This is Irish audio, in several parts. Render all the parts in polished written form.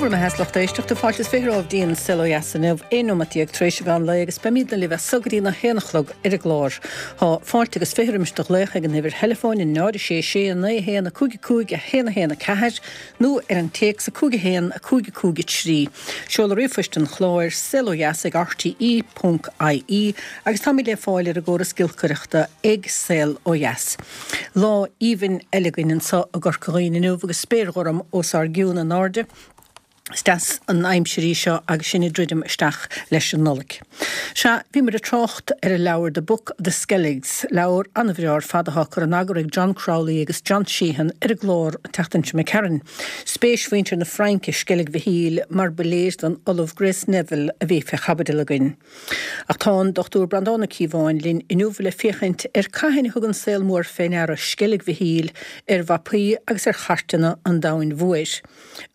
Go raibh maith a't a lucht éisteachta. Fáilte is 20 romhaibh dtí'n Saol Ó Dheas inniu, 11 nóimeat tar éis an mheán lae agus beimídne libh as so go dtí na haon a chlog ar an gclár. Tá fáilte agus 20 roimis do ghlaoch ag an uimhir theileafóin 0 6 6 9 1 5 5 1 1 4 nó ar an téacs 5 1 5 5 3. Seoladh ríomhphoist an chláir, saolodheas ag rte ponc ie agus táimid le fáil ar an gcóras giolcaireachta ag Saol Ó Dheas. Lá aoibhinn eile againn anseo i gCorca Dhuibhne inniu agus spéir ghorm os ár gcionn in airde. Is deas an aimsir í seo agus sinn ag druidim isteach leis an Nollaig. Sea, bhíomar ag trácht ar an leabhar The Book of the Skelligs, leabhar an-bhreá ar fad atá curtha in eagar ag John Crowley agus John Sheehan ar an gclár an tseachtain seo imigh tharainn. Spéis mhuintir na Fraince i Sceilg Mhichíl mar ba léir don Ollamh Grace Neville a bhí fé chaibidil againn. Ach tá an Dr Breandán Ó Cíobháin linn inniu le féachaint ar cathain a thug an saol mór fé ndeara Sceilg Mhichíl ar mhapaí agus ar chairteanna an domhain mhóir.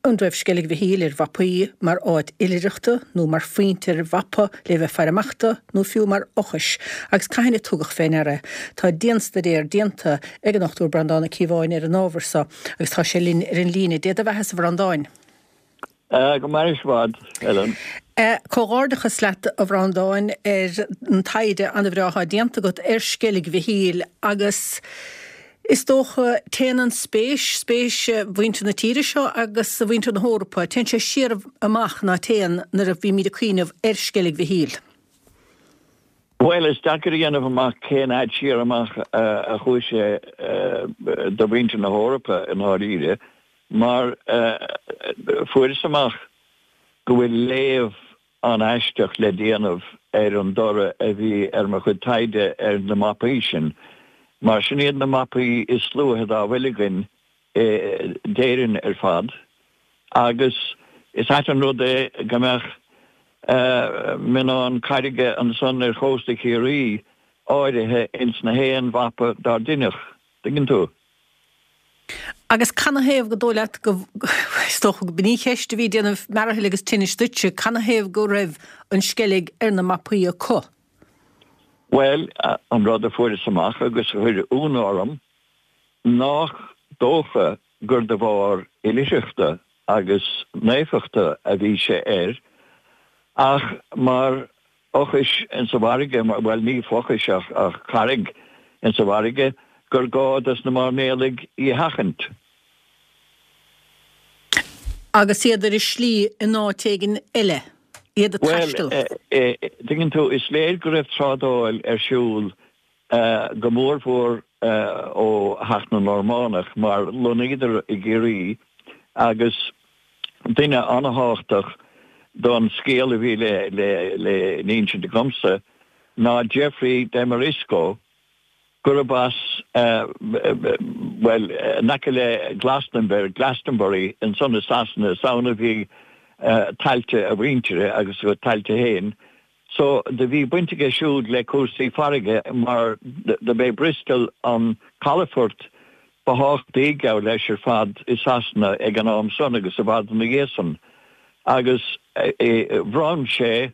An raibh Sceilg Mhichíl ar mhapaí mar áit oilithreachta nó mar phointe ar mhapa le bheith faire amach do nó fiú mar fhochais agus cathain a tugadh fé ndeara é? Tá dianstaidéar déanta ag an Dr Breandán Ó Cíobháin ar an ábhar so agus tá sé linn ar an líne. Dé do bheathasa a Bhreandáin. Go mairis i bhfad, Helen. Comhghairdeachas leat, a Bhreandáin, ar an taighde an-bhreá atá déanta agat ar Sceilg Mhichíl agus Is dócha, téann an spéis, spéis mhuintir na tíre seo agus mhuintir na hEorpa, téann sé siar amach, ná téann, nuair a bhímid ag cuimhneamh ar Sceilg Mhichíl. Bhuel, is deacair a dhéanamh amach cén fhad siar amach a chuaigh sé do mhuintir na hEorpa i ndáiríre, mar fuaireas amach go bhfuil léamh an-aisteach le déanamh ar an dtoradh a bhí ar mo chuid taighde ar na mapaí sin, mar sin iad na mapaí is luaithe dá bhfuil againn d'Éirinn ar fad, agus is ait an rud é go mbeadh mionnán carraige ansan ar chósta Chiarraí áirithe ins na haon mhapa dár deineadh, tuigeann tú. Agus canathaobh gur dóigh leat go, is dócha go b'in í an cheist a bhí ag déanamh mearathaill agus tinnis duitse, canathaobh go raibh an Sceilg ar na mapaí acu? Bhuel, an rud a fuaireas amach agus a chuir ionadh orm, nách dócha gur de bharr oilithreachta agus naofachta a bhí sé air, ach mar fhochais insa bhfarraige, bhuel, ní fochais ach carraig insa bhfarraige, gur gá dos na mairnéalaigh í a sheachaint. Agus iad ar a slí in áit éigin eile, iad ag taisteal. Bhuel, tuigeann tú, is léir go raibh trádáil ar siúl go mórmhór ó theacht na Normánach, mar lonnaíodar i gCiarraí agus duine an-thábhachtach don scéal a bhí le n-insint agamsa ná Geoffrey de Marisco, gurb as, bhuel, in aice le Glastonbury, Glastonbury, ansan i Sasana, is ann a bhí tailte a mhuintire agus a thailte féin. So, do bhí baint aige siúd le cúrsaí farraige mar do b'é Bristol an calafort ba thábhachtaí, geall leis, ar fad i Sasana ag an am san agus i bhfad ina dhiaidh san. Agus bhronn sé,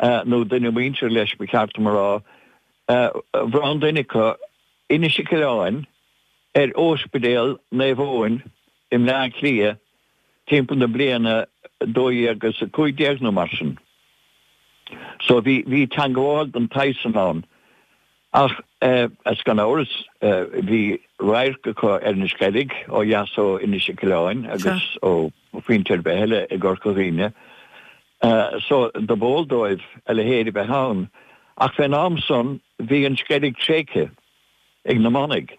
nó duine muinteartha leis ba cheart dom a rá, bhronn duine acu Inis Mhic Oileáin ar Ospidéal Naomh Eoin i mBleá Cliath timpeall na bliana 1215 nó mar sin. So bhí, bhí teangmháil den tsaghas san ann. Ach is gan amhras bhí radharc acu ar an Sceilg ó dheas ó Inis Mhic Oileáin agus ó phointe ar bith eile i gCorca Dhuibhne. So do b'eol dóibh a leithéid a bheith ann. Ach fén am san bhí an Sceilg tréigthe ag na manaigh.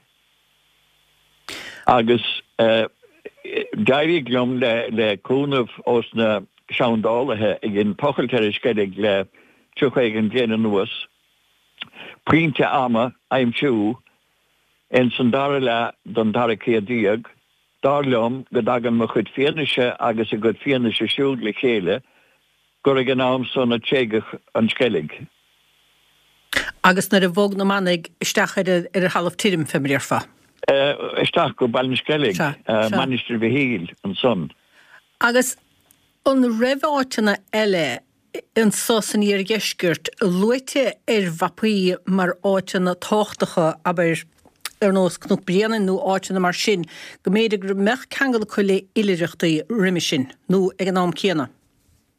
Agus d'éirigh liom, le cúnamh ós na seandálaithe a dhein tochailt ar an Sceilg le 30 éigin bliain anuas, pointe ama a aimsiú ins an dara leath den dara céad déag, dar liom go dtagann mo chuid fianaise agus a gcuid fianaise siúd le chéile gur ag an am san a tréigeadh an Sceilg. Agus nuair a bhog na manaigh isteach ar ar thalamh tirim, fé mar a déarfá. Isteach go Baile na Sceilge, Mainistir Mhichíl ansan. Agus an raibh áiteanna eile anso san iardheisceart luaite ar mhapaí mar áiteanna tábhachtacha, abair? ar nós Cnoc Bréanainn nó áiteanna mar sin, go mb'fhéidir go mbeadh ceangal acu le oilithreachtaí roimhe sin, nó ag an am céanna.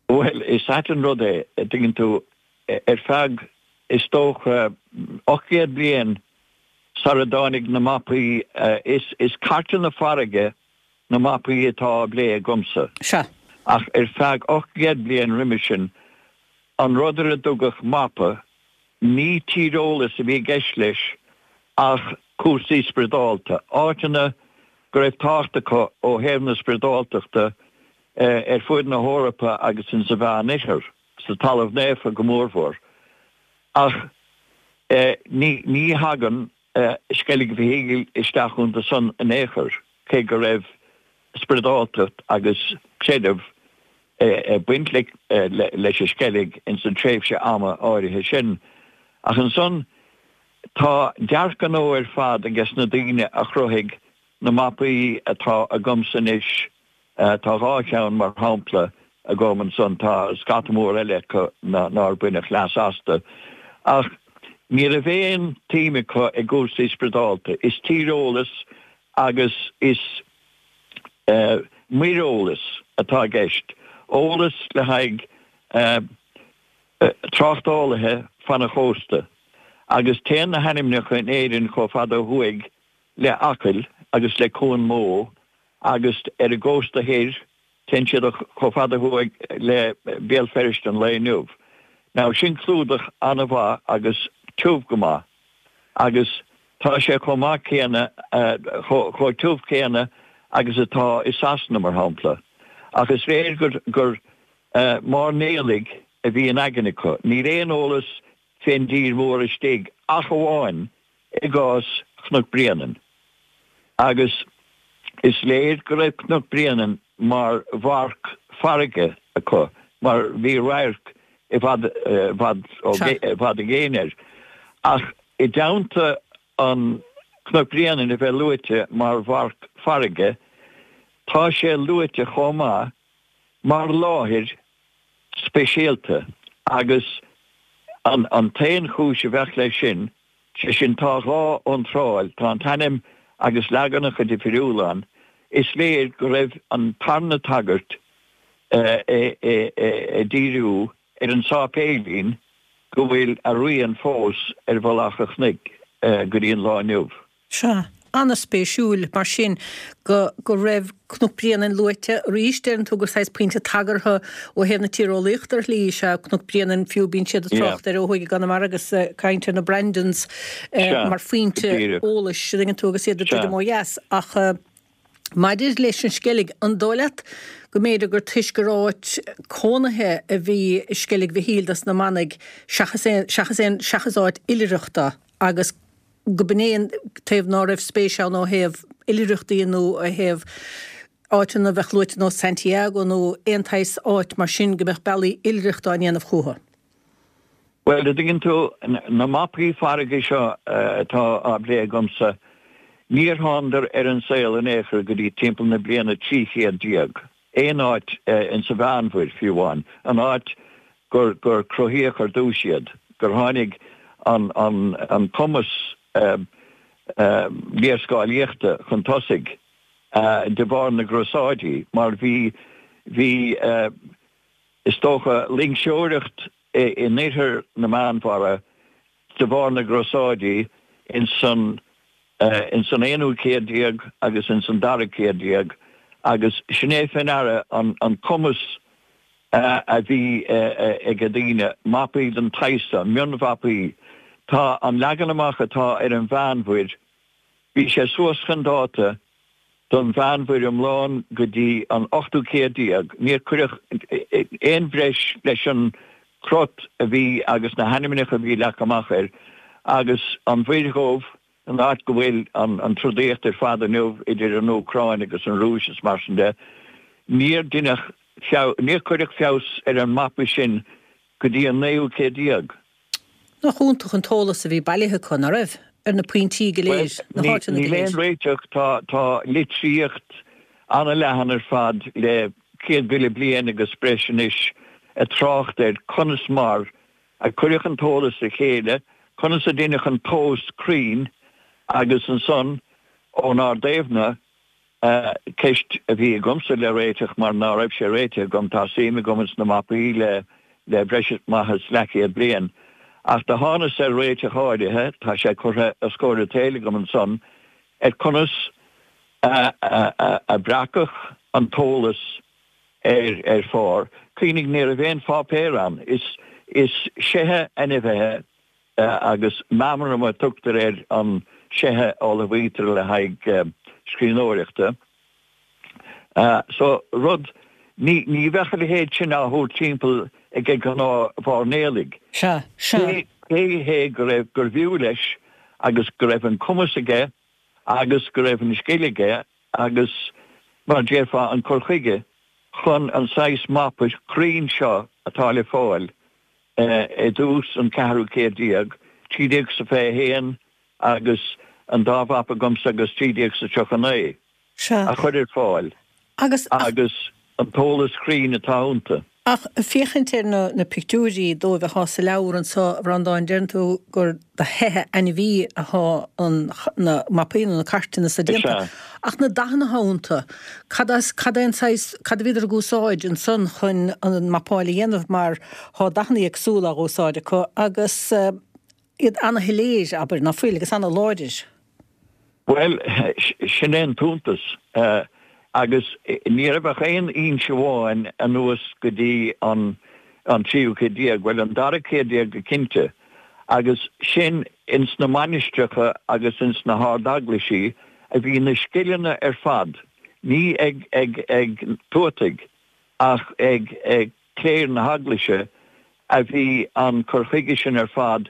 Bhuel, is ait an rud é, a dtuigeann tú, ar feadh, is dócha, 800 bliain sara dtáinig na mapaí, is cairteanna farraige na mapaí atá á bplé agamsa. Sea. Ach ar feadh 800 bliain roimhe sin, an rud ar a dtugadh mapa, ní tíreolas a bhí i gceist leis ach cúrsaí spioradálta, áiteanna go raibh tábhacht acu ó thaobh na spioradáltachta ar fuaid na hEorpa agus in sa Mheán-Oirthear, sa Talamh Naofa go mórmhór. Ach ní thagann Sceilg Mhichíl isteach iontu san in aon chor, cé go raibh spioradáltacht agus creideamh ag baint leis an Sceilg ins an tréimhse ama áirithe sin. Ach ansan tá dearcadh nua ar fad ages na daoine a chruthaigh na mapaí atá agamsa anois, tá dhá cheann mar shampla agam ansan, tá scata mór eile acu nár baineadh leas astu, ach ní raibh aon tsuim acu i gcúrsaí spioradálta. Is tíreolas agus is muireolas atá i gceist, eolas le haghaidh tráchtálaithe fan an chósta, agus téann na hainmneacha in Éirinn chomh fada ó thuaidh le Acaill agus le Cuan Mó agus ar an gcósta thoir téann siad chomh fada thuaidh le Béal Feirste an lae inniu. Now sin clúdach an-mhaith agus tiubh go maith agus tá sé chomh maith céanna, chomh tiubh céanna agus atá i Sasana mar shampla. Ach is léir gur gur mairnéalaigh a bhí in aigne acu. Níl aon eolas fén dtír mhór istigh ach amháin i gcás Chnoc Bréanainn. Agus is léir go raibh Cnoc Bréanainn mar mharc farraige acu mar bhí radharc i bhfad i bhfad i bhfad i gcéin air. Ach i dteannta an Cnoc Bréanainn a bheith luaite mar mharc farraige, tá sé luaite chomh maith mar láthair speisialta agus an t-aon chúis a bheadh leis sin, sé sin tá dhá iontráil, tá an t-ainm agus leaganacha difriúla ann, is léir go raibh an tarna tagairt ag díriú ar an sáipéilín go bhfuil a rian fós ar mhullach an chnoic go dtí an lá inniu. Sea. An-spéisiúil, mar sin, go go raibh Cnoc Bréanainn luaite arís. Deireann tú gur saghas pointe tagartha ó thaobh na tíreolaíochta ar shlí is ea Cnoc Bréanainn, fiú bíonn siad ag trácht air ó thuaidh i gConamara agus ag caint ar na Brandons mar phointe eolais, an dtuigeann tú, agus iad ag druidim ó dheas. Ach maidir leis an Sceilg, an dóigh leat go mb'fhéidir gur toisc gur áit cónaithe a bhí i Sceilg Mhichíl dos na manaigh seachas aon seachas aon seachas áit oilithreachta agus go b'in é an taobh ná raibh spéis ann ó thaobh oilithreachtaí nó ó thaobh áiteanna a bheadh luaite nós Santiago nó aon tsaghas áit mar sin go mbeadh bealaí oilithreachta á ndéanamh chucu. Bhuel, a dtuigeann tú, na mapaí farraige seo atá á bplé agamsa, níor thánadar ar an saol in aon chor go dtí timpeall na bliana 1300. Aon áit insa Mheánmhuir, fiú amháin, an áit gur gur cruthaíodh ar dtús iad, gur tháinig an an an cumas léarscáilíochta chun tosaigh de bharr na gCrosáidí, mar bhí bhí is dócha loingseoireacht in oirthear na Meánmhara de bharr na gCrosáidí ins an ins an aonú céad déag agus ins an dara céad déag agus sin é fé ndeara an an cumas a bhí ag daoine, mapaí den tsaghas seo, mionmhapaí. Tá an leagan amach atá ar an Mheánmhuir, bhí sé suas chun dáta don Mheánmhuir iomlán go dtí an ochtú céad déag. Níor cuireadh aon bhreis leis an crot a bhí agus na hainmneacha a bhí leagtha amach air agus an Mhuir Dhubh, an áit go bhfuil an trodaíocht ar fad inniu idir an Úcráin agus an Rúis is mar sin de, níor deineadh níor cuireadh feabhas ar an mapa sin go dtí an naoú céad déag. Nach iontach an t-eolas a bhí bailithe acu, ná raibh? Ar na pointí go léir, na háiteanna go léir. Níl aon réiteach, tá litríocht an-leathan ar fad le 100,000 bliain agus breis anois ag trácht ar conas mar a cuireadh an t-eolas le chéile, conas a deineadh an tomhas cruinn. Agus ansan ón Ard Aoibhne, ceist a bhí agamsa le réiteach mar ná raibh sé réitithe agam, tá suim agam ins na mapaí le le breis maith is leathchéad bliain, ach do thánas ar réiteach áirithe, tá sé curtha os comhair an tsaoil agam ansan, ar conas a breacadh an t-eolas ar ar phár. Cuimhnigh, ní raibh aon pháipéar ann. Is is seithe ainmhithe agus meamram a tugtar ar an seithe a ullmhaítear le haghaidh scríbhneoireachta. So, rud, ní ní bheadh a leithéid sin á thabhairt timpeall ag gnáth-mhairnéalaigh. Sea, sea. Cé hé go raibh, gurbh fhiú leis agus go raibh an cumas aige agus go raibh an scil aige agus, mar a déarfá, an cur chuige chun an saghas mapa cruinn seo atá le fáil i dtús an ceathrú céad déag, 1321 agus an dá mhapa agamsa agus 1339, a chur ar fáil agus an t-eolas cruinn atá iontu. Ach féachaint ar na pictiúirí dóibh athá sa leabhar anso, a Bhreandáin, deireann tú gur de sheithe ainmhí athá an, na mapaí nó na cairteanna so déanta. Ach na dathanna athá iontu, cad as, cad é an saghas, cad a bhíodar ag úsáid ansan chun an mapáil a dhéanamh mar thá dathanna éagsúla á úsáid acu agus iad ana-shoiléir, abair, ná fuil, agus ana-láidir. Bhuel, sin é an t-iontas. Agus ní raibh ach aon fhoinse amháin anuas go dtí an tríú céad déag, bhuel, an dara céad déag go cinnte, agus sin ins na mainistreacha agus ins na hard-eaglaisí a bhí na scileanna ar fad, ní ag ag tuataigh ach ag cléir na heaglaise a bhí an cur chuige sin ar fad,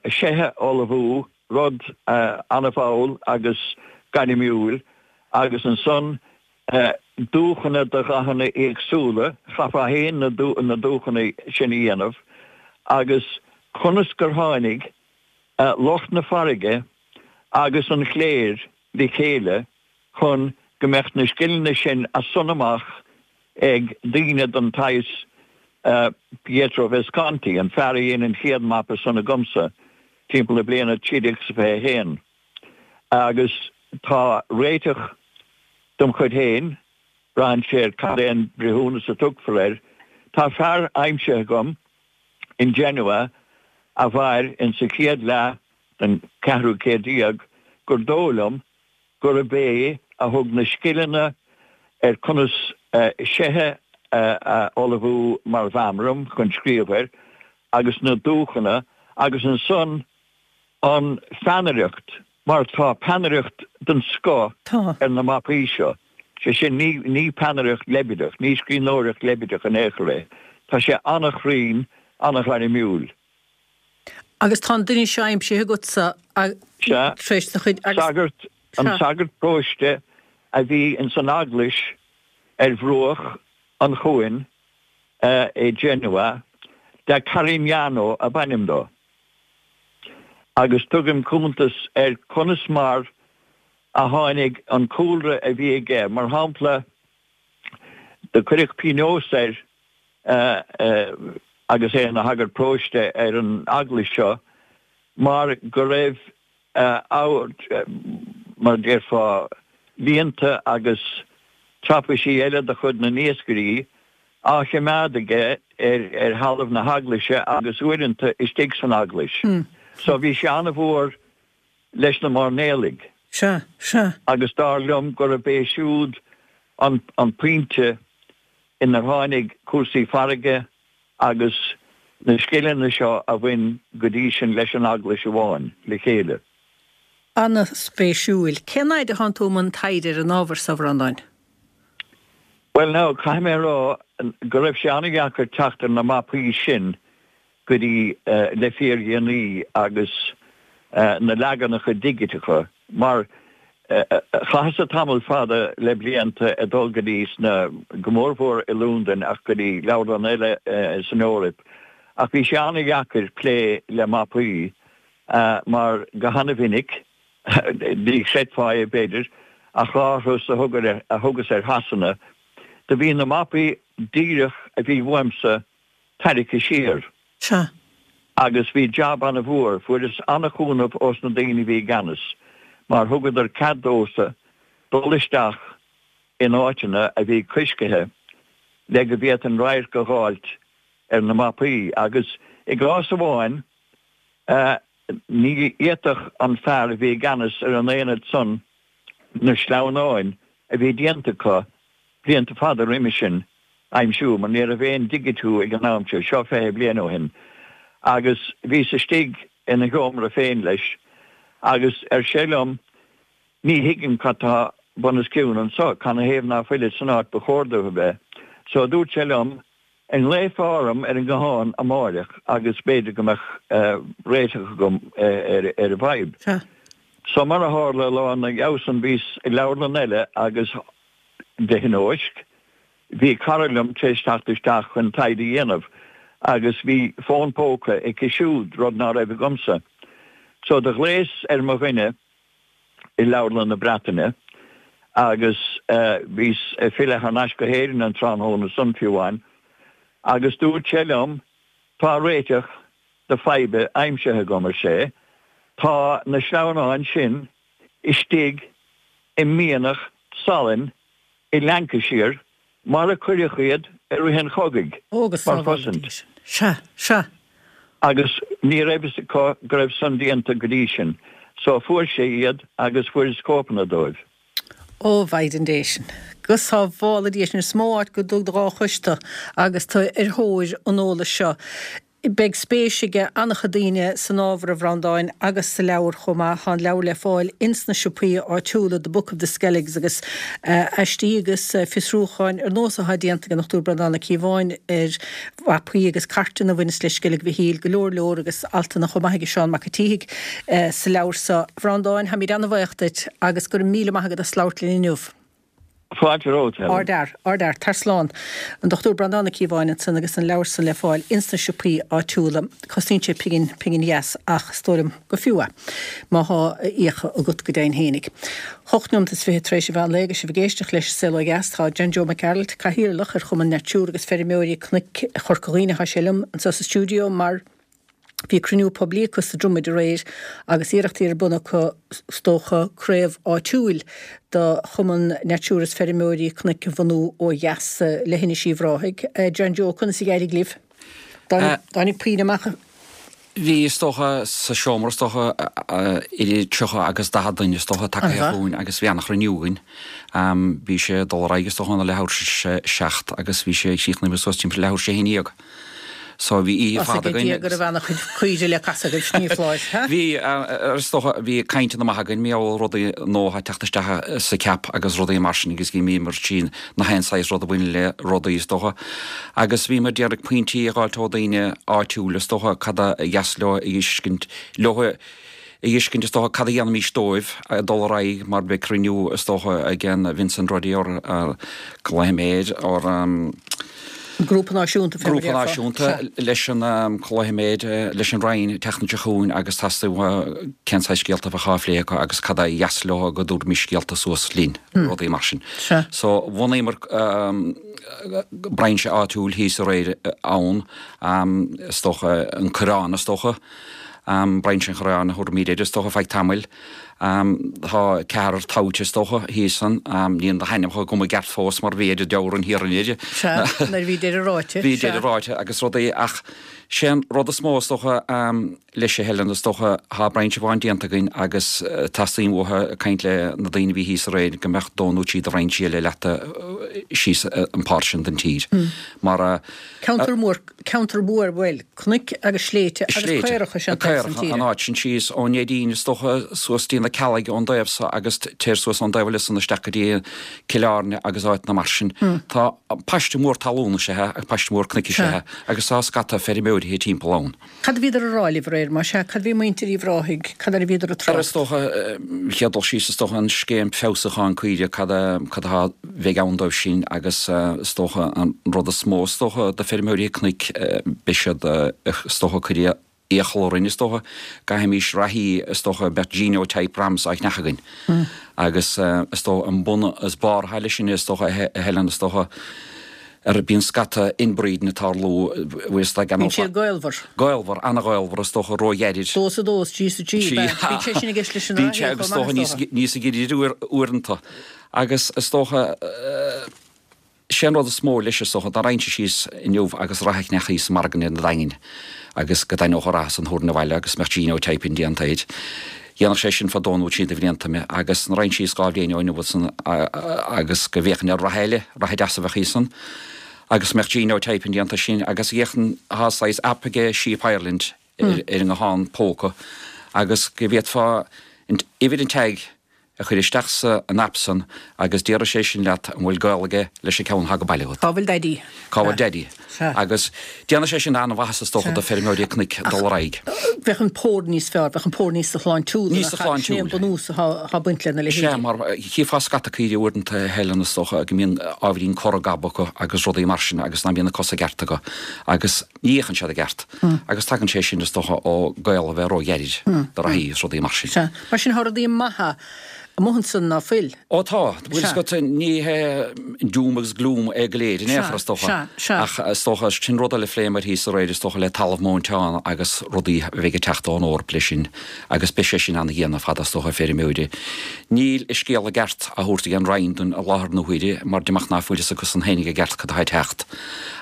seithe a ullmhú, rud an-mhall agus gairmiúil, agus ansan dúchanna de dhathanna éagsúla, chaithfeá féin na dúchanna sin a dhéanamh, agus conas gur tháinig lucht na farraige agus an chléir le chéile chun go mbeadh na scileanna sin as san amach ag daoine den tsaghas Pietro Visconti, an fear a dhein an chéad mapa san agamsa timpeall na bliana 1321. Agus tá réiteach dem chuid féin, braitheann sé ar cad é an breithiúnas a tugfar air, tá fear aimsithe agam in Genoa a mhair in sa chéad leath den cheathrú céad déag gur dóigh liom gurb é a thug na scileanna ar conas seithe a ullmhú mar mheamram chun scríobh air agus na dúchanna agus ansan an pheannaireacht mar tá peannaireacht den scoth ar na mapaí seo, sé sin ní peannaireacht leibideach, ní scríbhneoireacht leibideach in aon chor é, tá sé an-chruinn, an-ghairmiúil. Agus tá an duine seo aimsithe agatsa Sea. tar éis do chuid agus. Sagart, an sagart paróiste a bhí ins an eaglais ar bhruach an chuain i Genoa, da Carignano ab ainm dó. Agus tugaim cuntas ar conas mar a tháinig an cúlra a bhí aige, mar shampla, do cuireadh pionós air agus é ina shagart paróiste ar an eaglais seo mar go raibh mar a déarfá, líonta agus traipisí eile de chuid na n-iascairí á choimeád aige ar thalamh na heaglaise agus uaireanta istigh san eaglais. So bhí sé an-mhór leis na mairnéalaigh. Sea, sea. Agus dar liom gurb é siúd an pointe inar tháinig cúrsaí farraige agus na scileanna seo a bhain go dtí sin leis an Eaglais amháin, le chéile. An-spéisiúil. Cén fhaid a thánn tú i mbun taighde ar an ábhar so, a Bhreandáin? Bhuel now, caithfidh mé a rá go raibh sé an-dheacair teacht ar na mapaí sin go dtí le fíordhéanaí agus na leaganacha digiteacha mar chaitheas-sa tamall fada le blianta ag dul go dtí sna, go mórmhór i Londain ach go dtí leabharlanna eile san Eoraip ach bhí sé an-dheacair plé le mapaí mar go hana-mhinic, ní chreidfeá é b'fhéidir, ach dhá thuras a thugas ar Shasana do bhí na mapaí díreach a bhí uaimsa tarraicthe siar. Sea. Agus bhí jab ana-mhór. Fuaireas ana-chúnamh ós na daoine a bhí i gceannas, mar thugadar cead domhsa dul isteach in áiteanna a bhí coiscithe le go bhféadfainn radharc a dh'fháilt ar na mapaí. Agus i gcás amháin, ní fhéadfadh an fear a bhí i gceannas ar an aonad san na sleamhnáin a bhí déanta acu blianta fada roimis sin aimsiú mar ní raibh aon digitiú ag an am seo, seo 20 bliain ó shin, agus bhíos istigh ina sheomra féin leis agus ar sé liom, ní thuigim cad tá bunoscionn anso, canathaobh ná fuilid san áit ba chóir dóibh a bheith? So dúirt sé liom, an nglaofá orm ar an nguthán amáireach agus b'fhéidir go mbeadh réiteach agam ar an bhfadhb. So mar a tharla, lá ina dhiaidh san bhíos i leabharlann eile agus de thionóisc, bhí cara liom tar éis teacht isteach chun taighde a dhéanamh agus bhí fón póca aici siúd, rud ná raibh agamsa. So do ghlaos ar mo dhuine i Leabharlann na Breataine agus bhíos ag filleadh thar n-ais go hÉirinn an tráthnóna san fiú amháin agus dúirt sé liom, tá réiteach do faidhbe aimsithe agam, ar sé, tá na sleamhnáin sin istigh i mianach salainn i Lancashire mar a cuireadh iad i rith an chogaidh Ó, go mar sábhála chosaint. Dia sinn. Sea, sea. Agus ní raibh fhios acu go raibh san déanta go dtí sin. So fuair sé iad agus fuaireas cóipeanna dóibh. Ó, a Mhaighdean Dé sin. Go sábhála Dia sinn. Is mó áit go dtug do dhá chois tu agus tu ar thóir an eolais seo. Beidh spéis ag an-chuid daoine san ábhar, a Bhreandáin, agus sa leabhar chomh maith. Tá an leabhar le fáil ins na siopaí áitiúla, The Book of the Skelligs, agus aistí agus fiosrúcháin ar nós atá déanta ag an Dr Breandán Ó Cíobháin ar mhapaí agus cairteanna a bhaineas le Sceilg Mhichíl, go leor leor agus altanna chomh maith aige Seán Mac an tSíthigh sa leabhar seo. A Bhreandáin, táimid an-bhaoch duit agus go raibh míle maith agat as labhairt linn inniu. Fáilte romhat, Helen. Ardfhear, ardfhear, tar slán. An Dr Breandán Ó Cíobháin ansan agus an leabhar san le fáil ins na siopaí áitiúla. Cosnaíonn sé pingin, pingin dheas ach is dóigh liom gur fiú é, má thá a fhiacha agat go deimhin fhéinig. Hocht neomat is fiche tar éis an mheán lae agus sibh ag éisteacht leis an Saol Ó Dheas. Tá John Joe Mac Gearailt, Cathaoirleach ar Chumann Natura agus Feirmeoirí Cnoic Chorca Dhuibhne, thá sé liom anso sa stiúideo mar Bhí cruinniú poiblí acu sa Dromaid aréir agus iarrachtaí ar bun acu is dócha craobh áitiúil do Chumann Natura is Feirmeoirí Cnoic a bhunú ó dheas Leithinis Uíbh Ráthaigh. John Joe, conas a d'éirigh libh? Dtáinig puinn amach? Bhí, is dócha, sa seomra, is dócha, idir 30 agus 40 duine, is dócha, tagaithe chugainn agus bhí an-chruinniú againn. Bhí sé ag dul ar aghaidh, is dócha, óna leathuair tar éis a seacht agus bhí sé ag críochnú suas timpeall leathuair tar éis a haon dhéag. So bhí oíche fada againn. Dia go raibh an-chuid caoire le casadh agaibh, ní foláir, ha? Bhí, is dócha, bhí cainteanna maithe againn, mar gheall ar rudaí nua atá ag teacht isteach sa cheap agus rudaí mar sin agus bhíomar tríd na haon saghas rud a bhaineann le rudaí, is dócha. Agus bhíomar ag iarraidh pointí a dh'fháilt ó daoine áitiúil, is dócha, cad a dheas leo a fheiscint leo. a fheiscint, is dócha, cad a dhéanfaimís dóibh ag dul ar aghaidh mar beidh cruinniú, is dócha, ag an Vincent Roddy or glaofaidh mé air, or Grúpa Náisiúnta, fé mar a Grúpa déarfá. Náisiúnta leis an, glaofaidh mé air, leis an Roinn an tseachtain seo chugainn agus teastaíonn uathu cén saghas scéalta a bheadh á phlé acu agus cad a dheas leo go dtabharfaimis scéalta suas linn, rudaí mar sin. Sea. So bhunaíomar brainse áitiúil thíos aréir ann, is dócha, an Coireán, is dócha. Brainse an Chorráin a thabharfaimid air, is dócha, feadh tamaill. Tá ceathrar toghte, is dócha, thíos ann. Níl na hainmneacha agam i gceart fós mar bhí idir deabhar an Thiarna air. Sea, nuair a bhí deireadh ráite. Bhí deireadh ráite agus rudaí ach sé an rud is mó, is dócha, leis a Helen, is dócha, tá brainse amháin déanta againn agus teastaíonn uathu caint le na daoine a bhí thíos aréir go mbeadh dó nó trí de bhrainsí eile leata síos an páirt sin den tír. Mar. Ceantar mór Ceantar mór, bhuel, cnoic agus sléibhte agus caoracha is ea an taobh san tíre. An áit sin síos ón Neidín is dócha suas dtí na Ceallaigh ón dtaobh so agus téir suas ón dtaobh eile san isteach go dtí Cill Airne agus áiteanna mar sin. Tá paiste mór talún is ea é agus paiste mór cnoic is ea é agus tá scata feirmeoirithe timpeall ann. Cad a bhíodar a rá libh aréir, más ea? Cad a bhí muintir Uíbh Ráthaigh, cad air a bhíodar ag trácht? Is dócha, chéad dul síos, is dócha an scéim feabhsúcháin caoire, cad a, cad atá, bheidh ann dóibh sin agus is dócha an rud is mó is dócha do feirmeoirí cnoic, beidh siad, is dócha, ag cur iachall orainn, is dócha, go gcaithfimís reathaí, is dócha, beadh genotype rams á cheannach againn agus is dócha an bun is barr atá leis sin, is dócha, a Helen, is dócha. Ar bíonn scata inbreeding ag tarlú, bhfuil fhios ag Bíonn siad gaolmhar. Gaolmhar, an-ghaolmhar is dócha, róghairid. Dó is a dó, is trí is a trí, ab ea? Bíonn sé sin i gceist leis an Bíonn sé agus is dócha níos níos giorra uaireanta. Agus is dócha, sé an rud is mó leis is dócha, dá raghainnse síos inniu agus rath a cheannach thíos sa margadh an Daingin agus go dtaitneodh an rath san thabharfainn abhaile agus mbeadh genotyping déanta air. Dhéanfadh sé sin fá dó nó trí de bhlianta mé agus nuair a raghainn síos 2 bhliain ó inniu ansan agus go bhféachfainn ar rath eile, rath deas a bheadh thíos ann agus mbeadh genotyping déanta sin agus dhéanfainn, thá saghas app aige Sheep Ireland ar an nguthán póca agus go bhféadfá uimhir an tag a chur isteach sa an app san agus déarfaidh sé sin leat an bhfuil gaol aige leis an ceann athá go baile agat. Cá bhfuil Daidí? Cá bhfuil Daidí? Agus déanfaidh sé sin an-mhaitheas is dócha do feirmeoirí cnoic dul ar aghaidh. Bheadh an pór níos fearr, bheadh an pór níos sláintiúla. Níos sláintiúla. Sin é an bunús atá ag baint lena leithéidí. Sea, mar chífeá scata caoirigh uaireanta a Helen is dócha go mbíonn ábhairín corr gob acu agus rudaí mar sin agus ná bíonn na cosa i gceart acu agus ní fhéachann siad i gceart. Agus tagann sé sin is dócha ó gaol a bheith róghairid do reathaí is rudaí mar sin. Sea. Mar sin tá rudaí maithe amuigh ansan ná fuil? Ó tá. Bhfuil fhios agat, ní hé doom agus gloom é go léir in aon chor is dócha. Ach is dócha, sin rud eile a phléamar thíos aréir is dócha le talamh móinteán agus rudaí a bheidh ag teacht ón Eoraip leis sin agus beidh sé sin ana-dhian ar fad is dócha ar feirmeoirí. Níl an scéal i gceart á thabhairt ag an Roinn dúinn i láthair na huaire mar diomach ná fuil fhios acusan fhéinig i gceart cad atá ag teacht.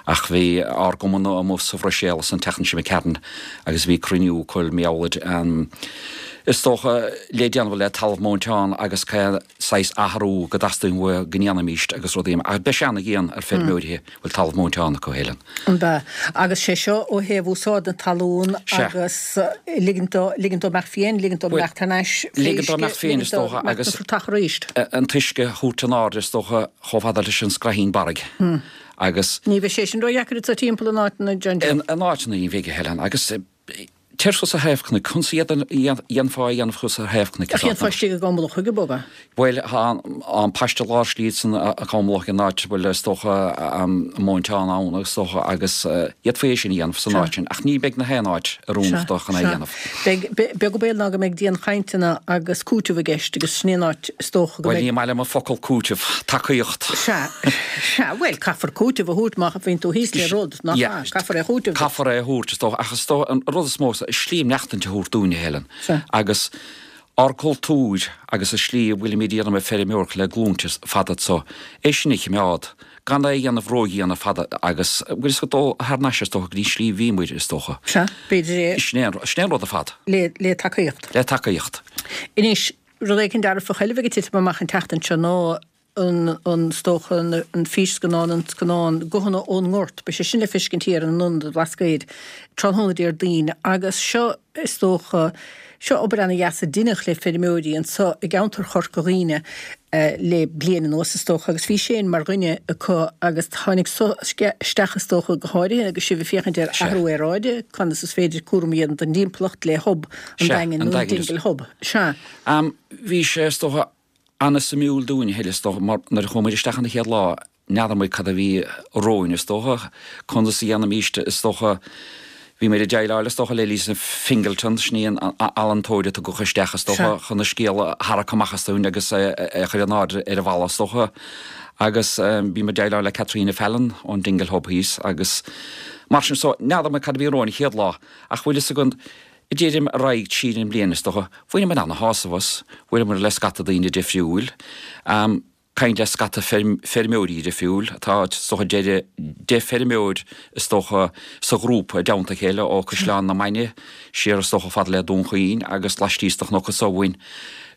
Ach bhí ár gcumann amuigh sa Bhruiséil an tseachtain seo imigh tharainn agus bhí cruinniú acu mar gheall ar Is dócha, le déanamh le talamh móinteán agus cén saghas athrú go dteastaíonn uathu go ndéanfaimíst agus rudaí ach beidh sé ana-dhian ar feirmeoirithe a bhfuil talamh móinteán acu, Helen. An bea? Agus sé seo ó thaobh úsáid na talún agus ligint dó, ligint dó imeacht fiáin, ligint dó imeacht thar n-ais fé uisce, ligint dó imeacht fiáin is dócha agus an t-uisce a thabhairt in airde is dócha chomh fada leis an scraithín barraigh agus. Ní bheidh sé sin ró-dheacair anso timpeall in áiteanna, John Joe. In áiteanna ní bheidh, a Helen, agus. Téir suas ar thaobh cnoic. Conas a dhéanfá é a dhéanamh thuas ar thaobh cnoic? Ach dhéanfá istigh i gCom Lochaigh ab ea? Bhuel, tá an paiste lár slí san i gCom Lochaigh an áit a bhfuil is dócha móinteán ann is dócha agus d'fhéadfaí é sin a dhéanamh san áit sin ach ní bheidh na haon áit oiriúnach dó chun é a dhéanamh. Beidh, beag an baol ná go mbeidh dianchainteanna agus cúiteamh i gceist agus sin é an áit is dócha go mbeidh. Bhuel, ní maith liom an focal cúiteamh, tacaíocht. Sea, sea, bhuel, caithfear cúiteamh a thabhairt má bhíonn tú thíos le rud. Nach ea? Caithfear é a chúiteamh. Caithfear é a thabhairt, is dócha. Ach is dócha, an rud is mó, slí maireachtaint a thabhairt dúinne, a Helen. Agus ár gcultúr agus an slí a bhfuilimid ag déanamh feirmeoireacht le glúinte fada anso, é sin a choimeád, gan é a dhéanamh ródhian ar fad agus, bhfuil fhios agat, dul thar n-ais, is dócha, go dtí an slí a bhíomair, is dócha. Sea, b'fhéidir é. Sin é an rud ar fad. Le, le tacaíocht. Le tacaíocht. Anois, rud éicint dearfach eile a bheidh ag titim amach an tseachtain seo ná an, is dócha, an físscannán, an scannán Guthanna ón nGort, beidh sé sin le feiscint thiar in Ionad an Bhlascaoid tráthnóna Déardaoin agus seo, is dócha, seo obair ana-dheas a deineadh le feirmeoirí anso i gceantar Chorca Dhuibhne le bliain anuas, is dócha, agus bhí Shane mar dhuine acu agus tháinig so isteach, is dócha, go háirithe agus sibh ag féachaint ar athrú aeráide, conas is féidir cúram a dhéanamh don dtimpeallacht le Hub an Daingin nó an Dingle Hub. Sea. Bhí sé, is dócha, Ana-suimiúil dúinn, a Helen, is dócha, mar nuair a chuaigh muid isteach an chéad lá, n'fheadar muid cad a bhí romhainn, is dócha, conas a dhéanfaimíst, is dócha, bhí muid ag déileáil, is dócha, le Lisa Fingleton, sin í an ealaíontóir a tugadh isteach, is dócha, chun an scéal a tharrac amach as dúinn agus é a chur in airde ar an bhalla, is dócha, agus bhí muid ag déileáil le Caitríona Fallon ón Dingle Hub thíos agus mar sin, so, n'fheadar muid cad a bhí romhainn an chéad lá, ach bhfuil fhios agat, Deirim ar aghaidh tríd an mbliain is dócha. Bhaineamar ana-shásamh as. Bhuaileamar le scata daoine difriúil. Caint le scata feirmeoirí difriúil. Tá is dócha deich bhfeirmeoir is dócha sa ghrúpa i dteannta a chéile ó Caisleán na Mainge siar is dócha fad le Dún Chaoin agus laistíos de chnoc anso uainn.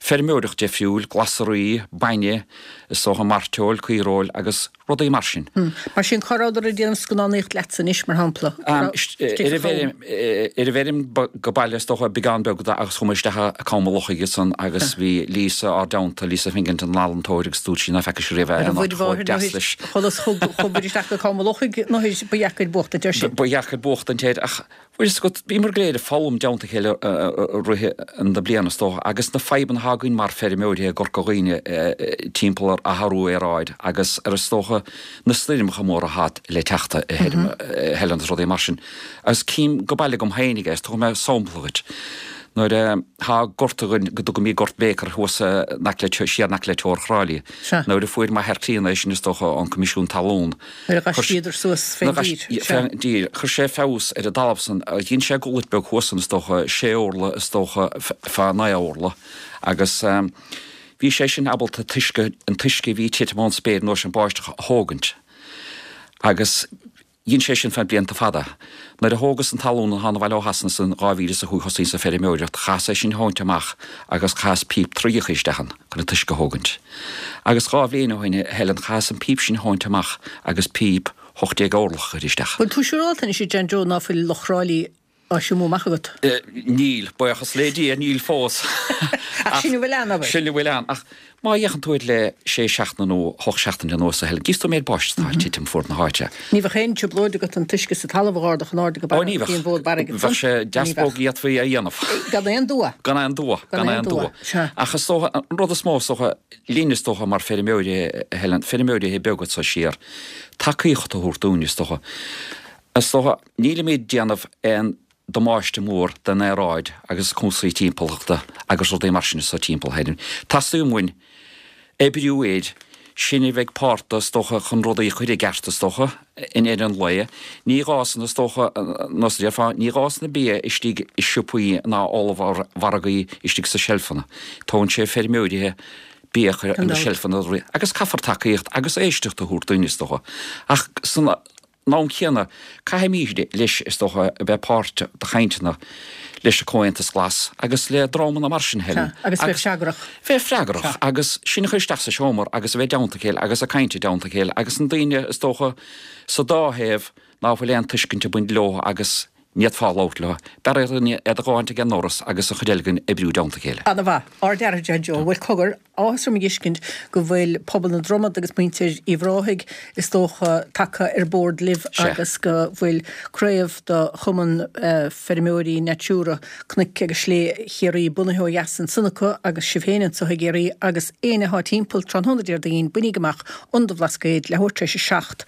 Feirmeoireacht difriúil, glasraí, bainne, is dócha mairteoil, caoireoil agus. rudaí mar sin. Mar sin, cá rabhadar ag déanamh scannánaíocht leatsa anois, mar shampla? Ar an bhfeirm, ar an bhfeirm go baile is dócha, beagán beag de agus chuaigh mé isteach i Com an Lochaigh ansan agus bhí Lisa ár dteannta, Lisa Fingleton, an ealaíontóir agus dúirt sí ná feaca sí riamh é an áit chomh deas leis. Chulas chuaigh muid isteach go Com an Lochaigh nó ba dheacair buachtaint air sin. Ba dheacair buachtaint air ach Bhfuil fhios agat, bhíomar go léir ag foghlaim i dteannta a chéile i rith na bliana is dócha, agus na fadhbanna atá againn mar feirmeoirí i gCorca Dhuibhne timpeall ar athrú aeráid agus ar is dócha na stoirmeacha móra atá le teacht a Helen agus rudaí mar sin. Agus cím go baile agam féinig é, is tabharfaidh mé sampla dhuit. Nuair a thá gort againn go dtugaimid Gort Baker thuas in aice le, siar in aice le Teamhair Chráilí. Sea. Nuair a fuair m'athair críonna é sin is dócha ón Coimisiún Talún. Nuair a d'aistríodar suas fén dtír. Sea. Fén dtír. Chuir sé feabhas ar an dtalamh san. Dhein sé gullet beag thuas san is dócha, sé orla is dócha fá naoi orla agus bhí sé sin ábalta t-uisce, an t-uisce a bhí ag titim ón spéir an uair sin báisteach a thógaint agus Dhein sé sin feadh blianta fada. Nuair a thógas an talún an abhaile ó Shasana san 2000 is a chuaigh thosaíos ag feirmeoireacht, chaitheas é sin a thógaint amach agus chaitheas píp traíocha isteach ann chun an t-uisce a thógaint. Agus dhá bhliain ó shin, a Helen, chaitheas an píp sin a thógaint amach agus píp 18 orlach a chur isteach. Bhfuil tú siúrálta anois, a John Joe, ná fuil Loch Chráilí á thriomú amach agat? Níl, buíochas le Dia, níl fós. Ach sin a bhfuil ann, abair. Sin a bhfuil ann. Ach má fhéachann tú air le sé seachtaine nó hocht seachtaine anuas, a Helen, gíos tú an méid báistí atá ag titim fuaid na háite. Ní bheadh aon trioblóid agat an t-uisce sa talamh a dh'ardú chun airde go Ó, barra ní an bheadh. bhfód barraigh Bheadh sé deas bog d'fhéadfaí é a dhéanamh. Gan aon dua. Gan aon dua. Gan aon dua. Sea. Ach is dócha, an rud is mó is dócha, linn is dócha mar feirmeoirí, a Helen, feirmeoirí beaga anso siar, tacaíocht a thabhairt dúinn is dócha. Is dócha, nílimid ag déanamh aon damáiste mór don aeráid agus cúrsaí timpeallachta agus rudaí mar sin anso timpeall Helen. Teastaíonn uainn oibriú air, sin a bheidh páirteach is dócha chun rudaí a chur i gceart is dócha i ndeireadh an lae. Ní gá san is dócha, nós a déarfá, ní gá san bia istigh i siopaí ná ollmhargaí istigh sa seilfeanna. Tógann sé feirmeoirithe bia a chur ar na seilfeanna agus caithfear tacaíocht agus éisteacht a thabhairt dúinn is dócha. Ach san am céanna, caithfimid leis, is dócha, a bheith páirteach de chainteanna leis an Comhaontas Glas agus le dreamanna mar sin, Helen. Sea, agus bheith freagrach. Bheith freagrach agus sinn a chur isteach sa seomra agus a bheith i dteannta a chéile agus ag caint i dteannta a chéile agus na daoine, is dócha, sa dá thaobh ná fuil aon tuiscint ag baint leo agus Ní fhéadfá labhairt leo. B'fhearr iad a ghabháint ag an ndoras agus an chuid eile againn oibriú i dteannta a chéile. Ana-mhaith. Ardfhear, a John Joe. Bhuel, cogar, áthas orm a dh'fheiscint go bhfuil pobal na Dromad agus muintir Uíbh Ráthaigh, is dócha, tagtha ar bord libh agus go bhfuil craobh de Chumann Feirmeoirí Natura Cnoic agus Slé Chiarraí bunaithe ó dheas ansan acu agus sibh féin anso i gCiarraí agus éinne athá timpeall tráthnóna Déardaoin, bainíg amach an do Bhlascaod leathuair tar éis a 7.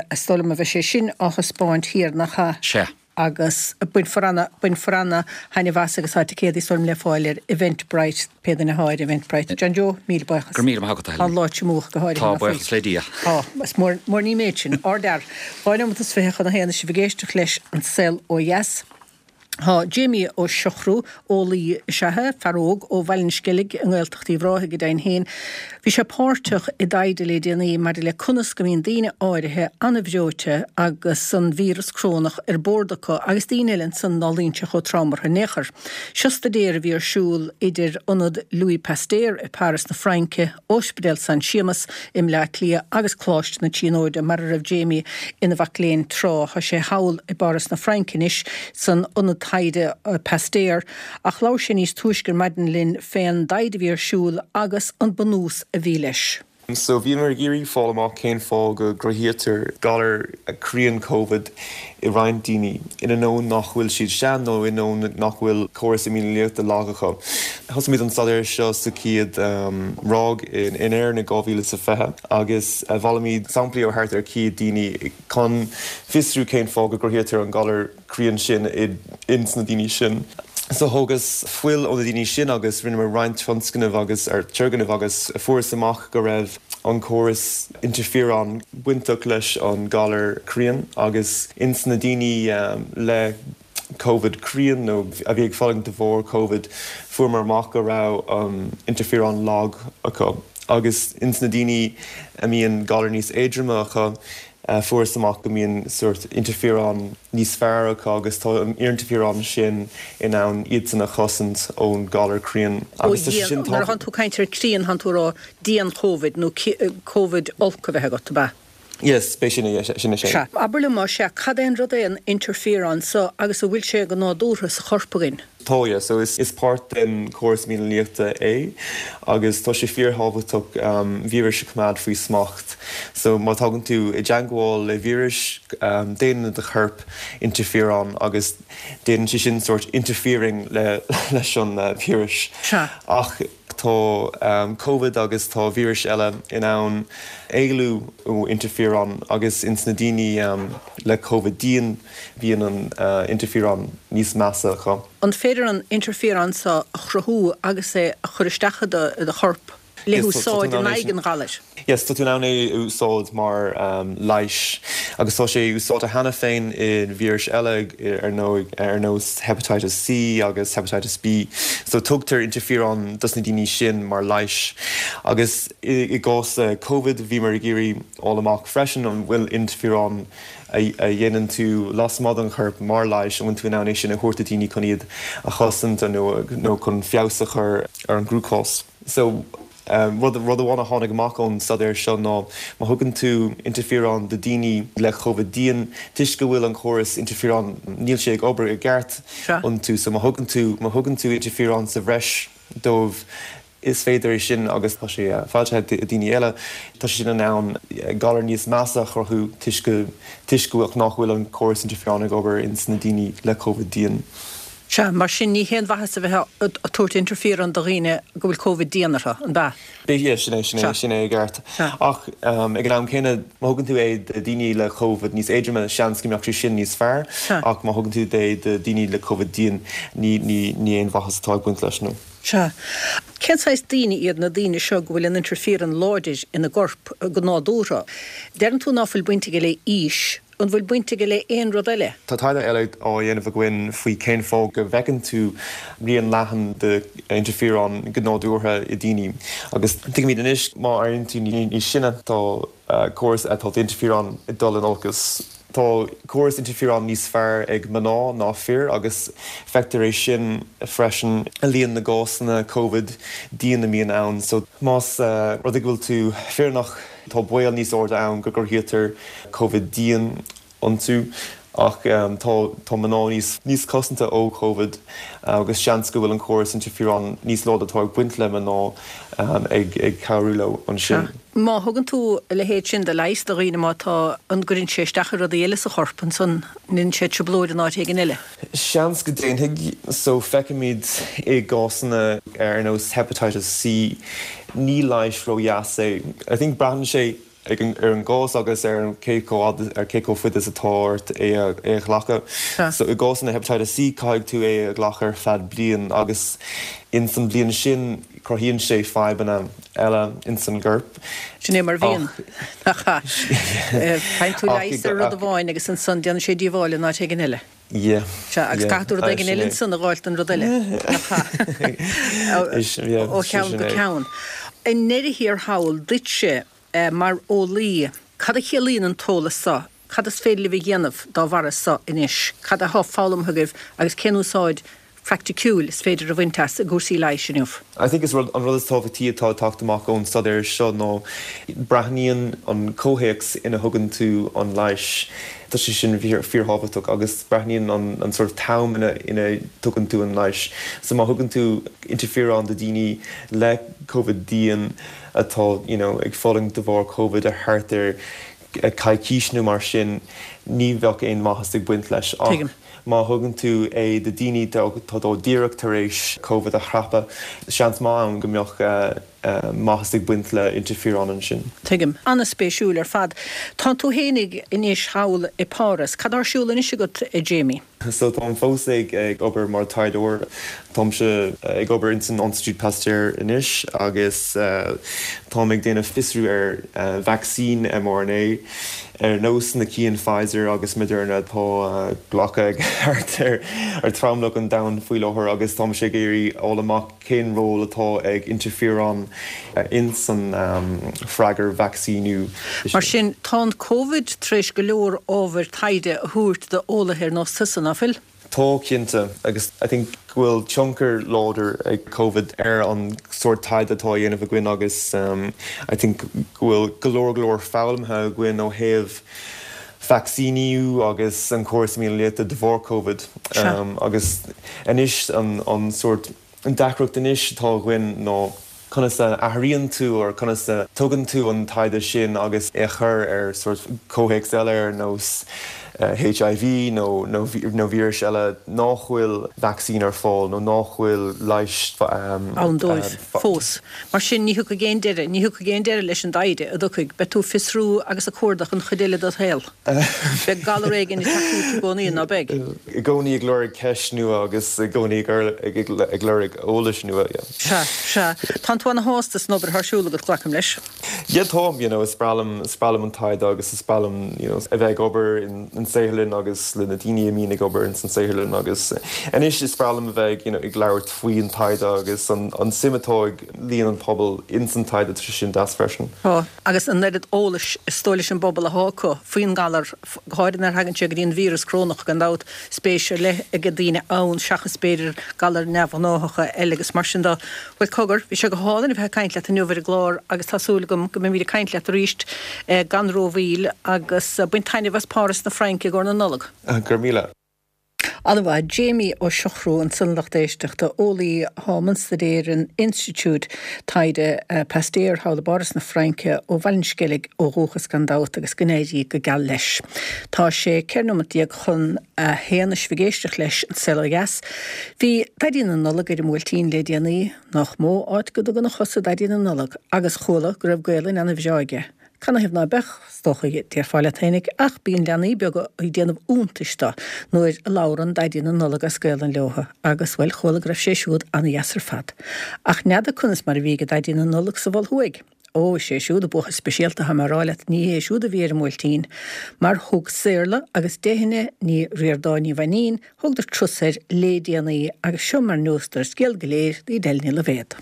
Is dóigh liom a bheidh sé sin á thaispeáint thiar, nach ea? Sea. Agus bainfear ana, bainfear ana thaitneamh as agus tá ticéadaí is dóigh liom le fáil ar Eventbrite, pé duine athá ar Eventbrite. John Joe, míle buíochas. Go raibh míle maith agat, a Helen. Tá an lá tiomúch go háirithe, Tá, nach bhfuil? buíochas le Dia. Tá, is mór, mór an ní an méid sin. Ardfhear. 2 neomat is 20 chun a haon is sibh ag éisteacht leis An Saol Ó Dheas. Tá Jamie Ó Siochrú, eolaí is ea é, fear óg ó Bhaile an Sceilg i nGaeltacht Uíbh Ráthaigh go deimhin féin. Bhí sé páirteach i dtaighde le déanaí maidir le conas go mbíonn daoine áirithe an-bhreoite agus an víreas crónach ar bord acu agus daoine eile ansan ná luíonn sé chomh trom orthu in aon chor. Seo staidéar a bhí ar siúl idir Ionad Louis Pasteur i Paris na Fraince, Ospidéal San Séamas i mBleá Cliath agus Coláiste na Tríonóide, mar a raibh Jamie ina mhac léinn tráth. Tá sé thall i bPáras na Fraince anois, san ionad taighde Pasteur, ach labhair sé níos túisce ar maidin linn fén dtaighde a bhí ar siúl agus an bunús a bhí leis. So bhíomar ag iarraidh fáil amach cén fáth go gcruthaítear galar críon Covid i roinnt daoine, in ainneoin nach bhfuil siad sean nó in ainneoin nach bhfuil córas imdhíonachta lag acu. Thosaigh muid an staidéar seo sa chéad ráig in Éirinn i 2020 agus bhailigh muid samplaí ó thart ar 100 daoine chun fiosrú cén fáth go gcruthaítear an galar críon sin ins na daoine sin. So thógas fuil ó na daoine sin agus rinneamar roinnt tionscnamh agus turgnamh agus fuarthas amach go raibh an córas interferon bainteach leis an galar críon agus ins na daoine le Covid críon nó a bhí ag fulaingt de bharr Covid fuaireamar amach go raibh an interferon lag acu agus ins na daoine a mbíonn galar níos éadroime acu fuarthas amach go mbíonn sórt interferon níos fearr acu agus tá an interferon sin in ann iadsan a chosaint ón galar críon agus tá sé sin Nuair a thánn tú ag caint ar críon thánn tú ag rá dian-Chovid nó Covid olc a bheith agat, ab ea? Yes, b'é sin é, sin é sin. Sea. Abair liom, más ea, cad é an rud é an interferon so agus an bhfuil sé go nádúrtha sa chorp againn? Tá, yeah. So is is páirt den chóras imdhíonachta é agus tá sé fíorthábhachtach víris a choimeád faoi smacht. So má tagann tú i dteangmháil le víris, déanann do chorp interferon agus déanann sé sin sórt interfering le leis an víris. Sea. Ach. tá Covid agus tá víris eile in ann éalú ó interferon agus ins na daoine le Covid dian bíonn an interferon níos measa acu. An féidir an interferon seo a chruthú agus é a chur isteach i do chorp? le húsáid in aghaidh an ghalair. Yes, tá tú in ann é a úsáid mar leighis agus tá sé úsáidte cheana féin i víris eile ar ndóigh, ar nós Hepatitis C agus Hepatitis B. So tugtar interferon dos na daoine sin mar leighis. Agus i gcás Covid bhíomar ag iarraidh fháil amach freisin an bhfuil interferon a dhéanann tú lasmuigh den chorp mar leighis, an bhfuil tú in ann é sin a thabhairt do daoine chun iad a chosaint nó chun feabhas a chur ar an gcruachás. So, rud rud amháin a tháinig amach ón staidéar seo ná má thugann tú interferon do daoine le Covid dian, toisc go bhfuil an córas interferon, níl sé ag obair i gceart iontu, so má thugann tú má thugann tú interferon sa bhreis dóibh, is féidir é sin, agus tá sé foilsithe ag daoine eile, tá sé sin in ann galar níos measa a chruthú toisc go toisc go nach bhfuil an córas interferon ag obair ins na daoine le Covid dian. Sea, mar sin ní haon mhaitheas a bheith ag tabhairt interferon do dhaoine go bhfuil Covid dian orthu, an b'ea? Yeah, sin é, sin é, sin é i gceart. Ach ag an am céanna, má thugann tú é do dhaoine le Covid níos éadroime, seans go mbeadh sé sin níos fearr, ach má thugann tú é do dhaoine le Covid dian, ní, ní, ní aon mhaitheas atá ag baint leis, no. Sea. Cén saghas daoine iad na daoine seo go bhfuil an interferon láidir ina gcorp go nádúrtha? Deireann tú ná fuil baint aige le aois, An bhfuil baint aige le aon rud eile? Tá taighde eile á dhéanamh againn faoi cén fáth go bhfeiceann tú rian leathan de interferon go nádúrtha i daoine. Agus tuigimid anois má éiríonn tú níos sine tá córas tá interferon ag dul in olcas. Tá córas interferon níos fearr ag mná ná fir agus feictear é sin freisin i líon na gcásanna Covid dian a mbíonn ann. So más rud é go bhfuil tú fireannach, Tá baol níos airde ann go gcruthaítear Covid dian iontu ach tá tá mná níos níos cosanta ó Covid agus seans go bhfuil an córas interferon níos láidre atá ag baint le mná ag ag cabhrú leo ansin. Má thugann tú a leithéid sin de leigheas do dhaoine má tá, an gcuireann sé isteach ar rudaí eile sa chorp ansan, an ndéanann sé trioblóid in áit éigin eile? Seans go ndéanfaidh. So feicimid i gcásanna ar nós Hepatitis C, ní leigheas ró-dheas é. I think braitheann sé ag an ar an gcás agus ar an cé chomh fhad ar cé chomh fada is atá ort é a é a ghlacadh. So i gcásanna Hepatitis C caithfidh tú é a ghlacadh ar feadh bliain agus ins an bhliain sin cruthaíonn sé fadhbanna eile ins an gcorp. Sin é mar a bhíonn. Nach ea? Faigheann tú leigheas ar rud amháin agus ansan déanann sé díobháil in áit éigin eile. Yeah. Sea, agus caithfidh tú rud éigin eile ansan a dh'fháilt don rud eile. Nach ea? Ó cheann go ceann. I ndeireadh thiar thall, duitse, mar eolaí, cad a chiallaíonn an t-eolas so? Cad is féidir libh a dhéanamh dá bharra so anois? Cad athá foghlamtha agaibh agus cén úsáid phraiticiúil is féidir a bhaint as i gcúrsaí leighis inniu? I think is rud, an rud is tábhachtaí atá ag teacht amach ón staidéar seo ná breathnaíonn an comhthéacs ina thugann tú an leighis, tá sé sin fíorthábhachtach agus breathnaíonn an an sort of t-am ina ina tugann tú an leighis. So má thugann tú interferon do daoine le Covid dian atá you know ag fulaingt de bharr Covid ar thart ar coicís nó mar sin, ní bheadh aon mhaitheas ag baint leis. Ach má thugann tú é do daoine atá díreach tar éis Covid a chrapadh, seans maith ann go mbeadh maitheas ag baint le interferon ansin. Tuigim. An-spéisiúil ar fad. Tá tú fhéinig anois thall i Páras. Cad tá ar siúl anois agat, a Jamie? So táim fós ag obair mar taighdeoir. Táimse ag obair ins an Institut Pasteur anois agus táim ag déanamh fiosrú ar vacsaín mRNA ar nós na cinn Pfizer agus Moderna atá glactha ag thart ar tromlach an domhain faoi láthair agus táimse ag iarraidh fháil amach Cén ról atá ag interferon ins an freagair vacsaíniú? Mar sin, tá an Covid tar éis go leor ábhair taighde a thabhairt do eolaithe ar nós tusa, ná fuil? Tá, cinnte. Agus I think go bhfuil tionchar láidir ag Covid ar an sórt taighde atá á dhéanamh againn agus I think go bhfuil go leor go leor foghlamtha againn ó thaobh vacsaíniú agus an córas imdhíonachta de bharr Covid. Agus anois an sórt, an deacracht anois atá againn ná conas a athraíonn tú or conas a tugann tú an taighde sin agus é a chur ar sórt comhthéacs eile ar nós. HIV nó nó víris eile nach bhfuil vacsaín ar fáil nó nach bhfuil leigheas ann dóibh fós. Mar sin, ní thiocfaidh aon deireadh, ní thiocfaidh aon deireadh leis an dtaighde, an dtiocfaidh? Beidh tú ag fiosrú agus ag cuardach an chuid eile dod shaol. Beidh galar éigin ag teacht uait i gcónaí, ná beidh? I gcónaí ag lorg ceist nua agus i gcónaí ag lorg eolais nua, yeah. Sea, sea. Tánn tú ana-shásta san obair atá ar siúl agat, glacaim leis. Yeah táim, you know, is breá liom, is breá liom an taighde agus is breá liom, you know, a bheith ag obair in an saotharlann agus le na daoine a mbíonn ag obair ins an saotharlann agus anois is breá liom a bheith ag, you know, ag labhairt faoi an taighde agus an, an suim atá ag líon an pobal ins an taighde, tá sé sin deas freisin. Tá, agus an oiread eolais is dóigh leis an bpobal atá acu faoin ngalar, go háirithe nuair a thagann sé go dtí an víreas corónach gan dabht, spéis ar leith ag daoine ann seachas b'fhéidir galair neamhghnáthacha eile agus mar sin de. Bhuel cogar, bhí sé go hálainn a bheith ag caint leat inniu ar an gclár agus tá súil agam go mbeimid ag caint leat arís gan rómhoill agus bain taitneamh as Páras na Fraince i gcomhair na Nollag. Go raibh míle. An-mhaith. Jamie Ó Siochrú ansan lucht éisteachta, eolaí atá i mbun staidéir in Institiúid Taighde Pasteur thall i bPáras na Fraince, ó Bhaile an Sceilg ó dhúchas gan dabht agus go n-éirí go geal leis. Tá sé 14 nóimeat chun a haon is sibh ag éisteacht leis An Saol Ó Dheas. Bhí Daidí na Nollag ar an mBuailtín le déanaí, nach mó áit go dtugann a chosa Daidí na Nollag, agus chuala go raibh Gaelainn ana-bhreá aige. Canathaobh ná beadh, is dócha, déarfá leat fhéinig, ach bíonn leanaí beaga ag déanamh iontais do nuair a labhrann Daidí na Nollag as Gaelainn leotha, agus, bhuel, chuala go raibh sé siúd ana-dheas ar fad. Ach n'fheadar conas mar a bhí ag Daidí na Nollag sa Mhol Thuaidh? Ó, is é siúd an buachaill speisialta atá mé a rá leat, ní hé siúd a bhí ar an mBuailtín, mar thug Saorla agus Deichne Ní Ríordáin Ní Mhainín, thugadar turas air lé déanaí, agus seo mar neosadar an scéal go léir d'Edel Ní Loibhéad.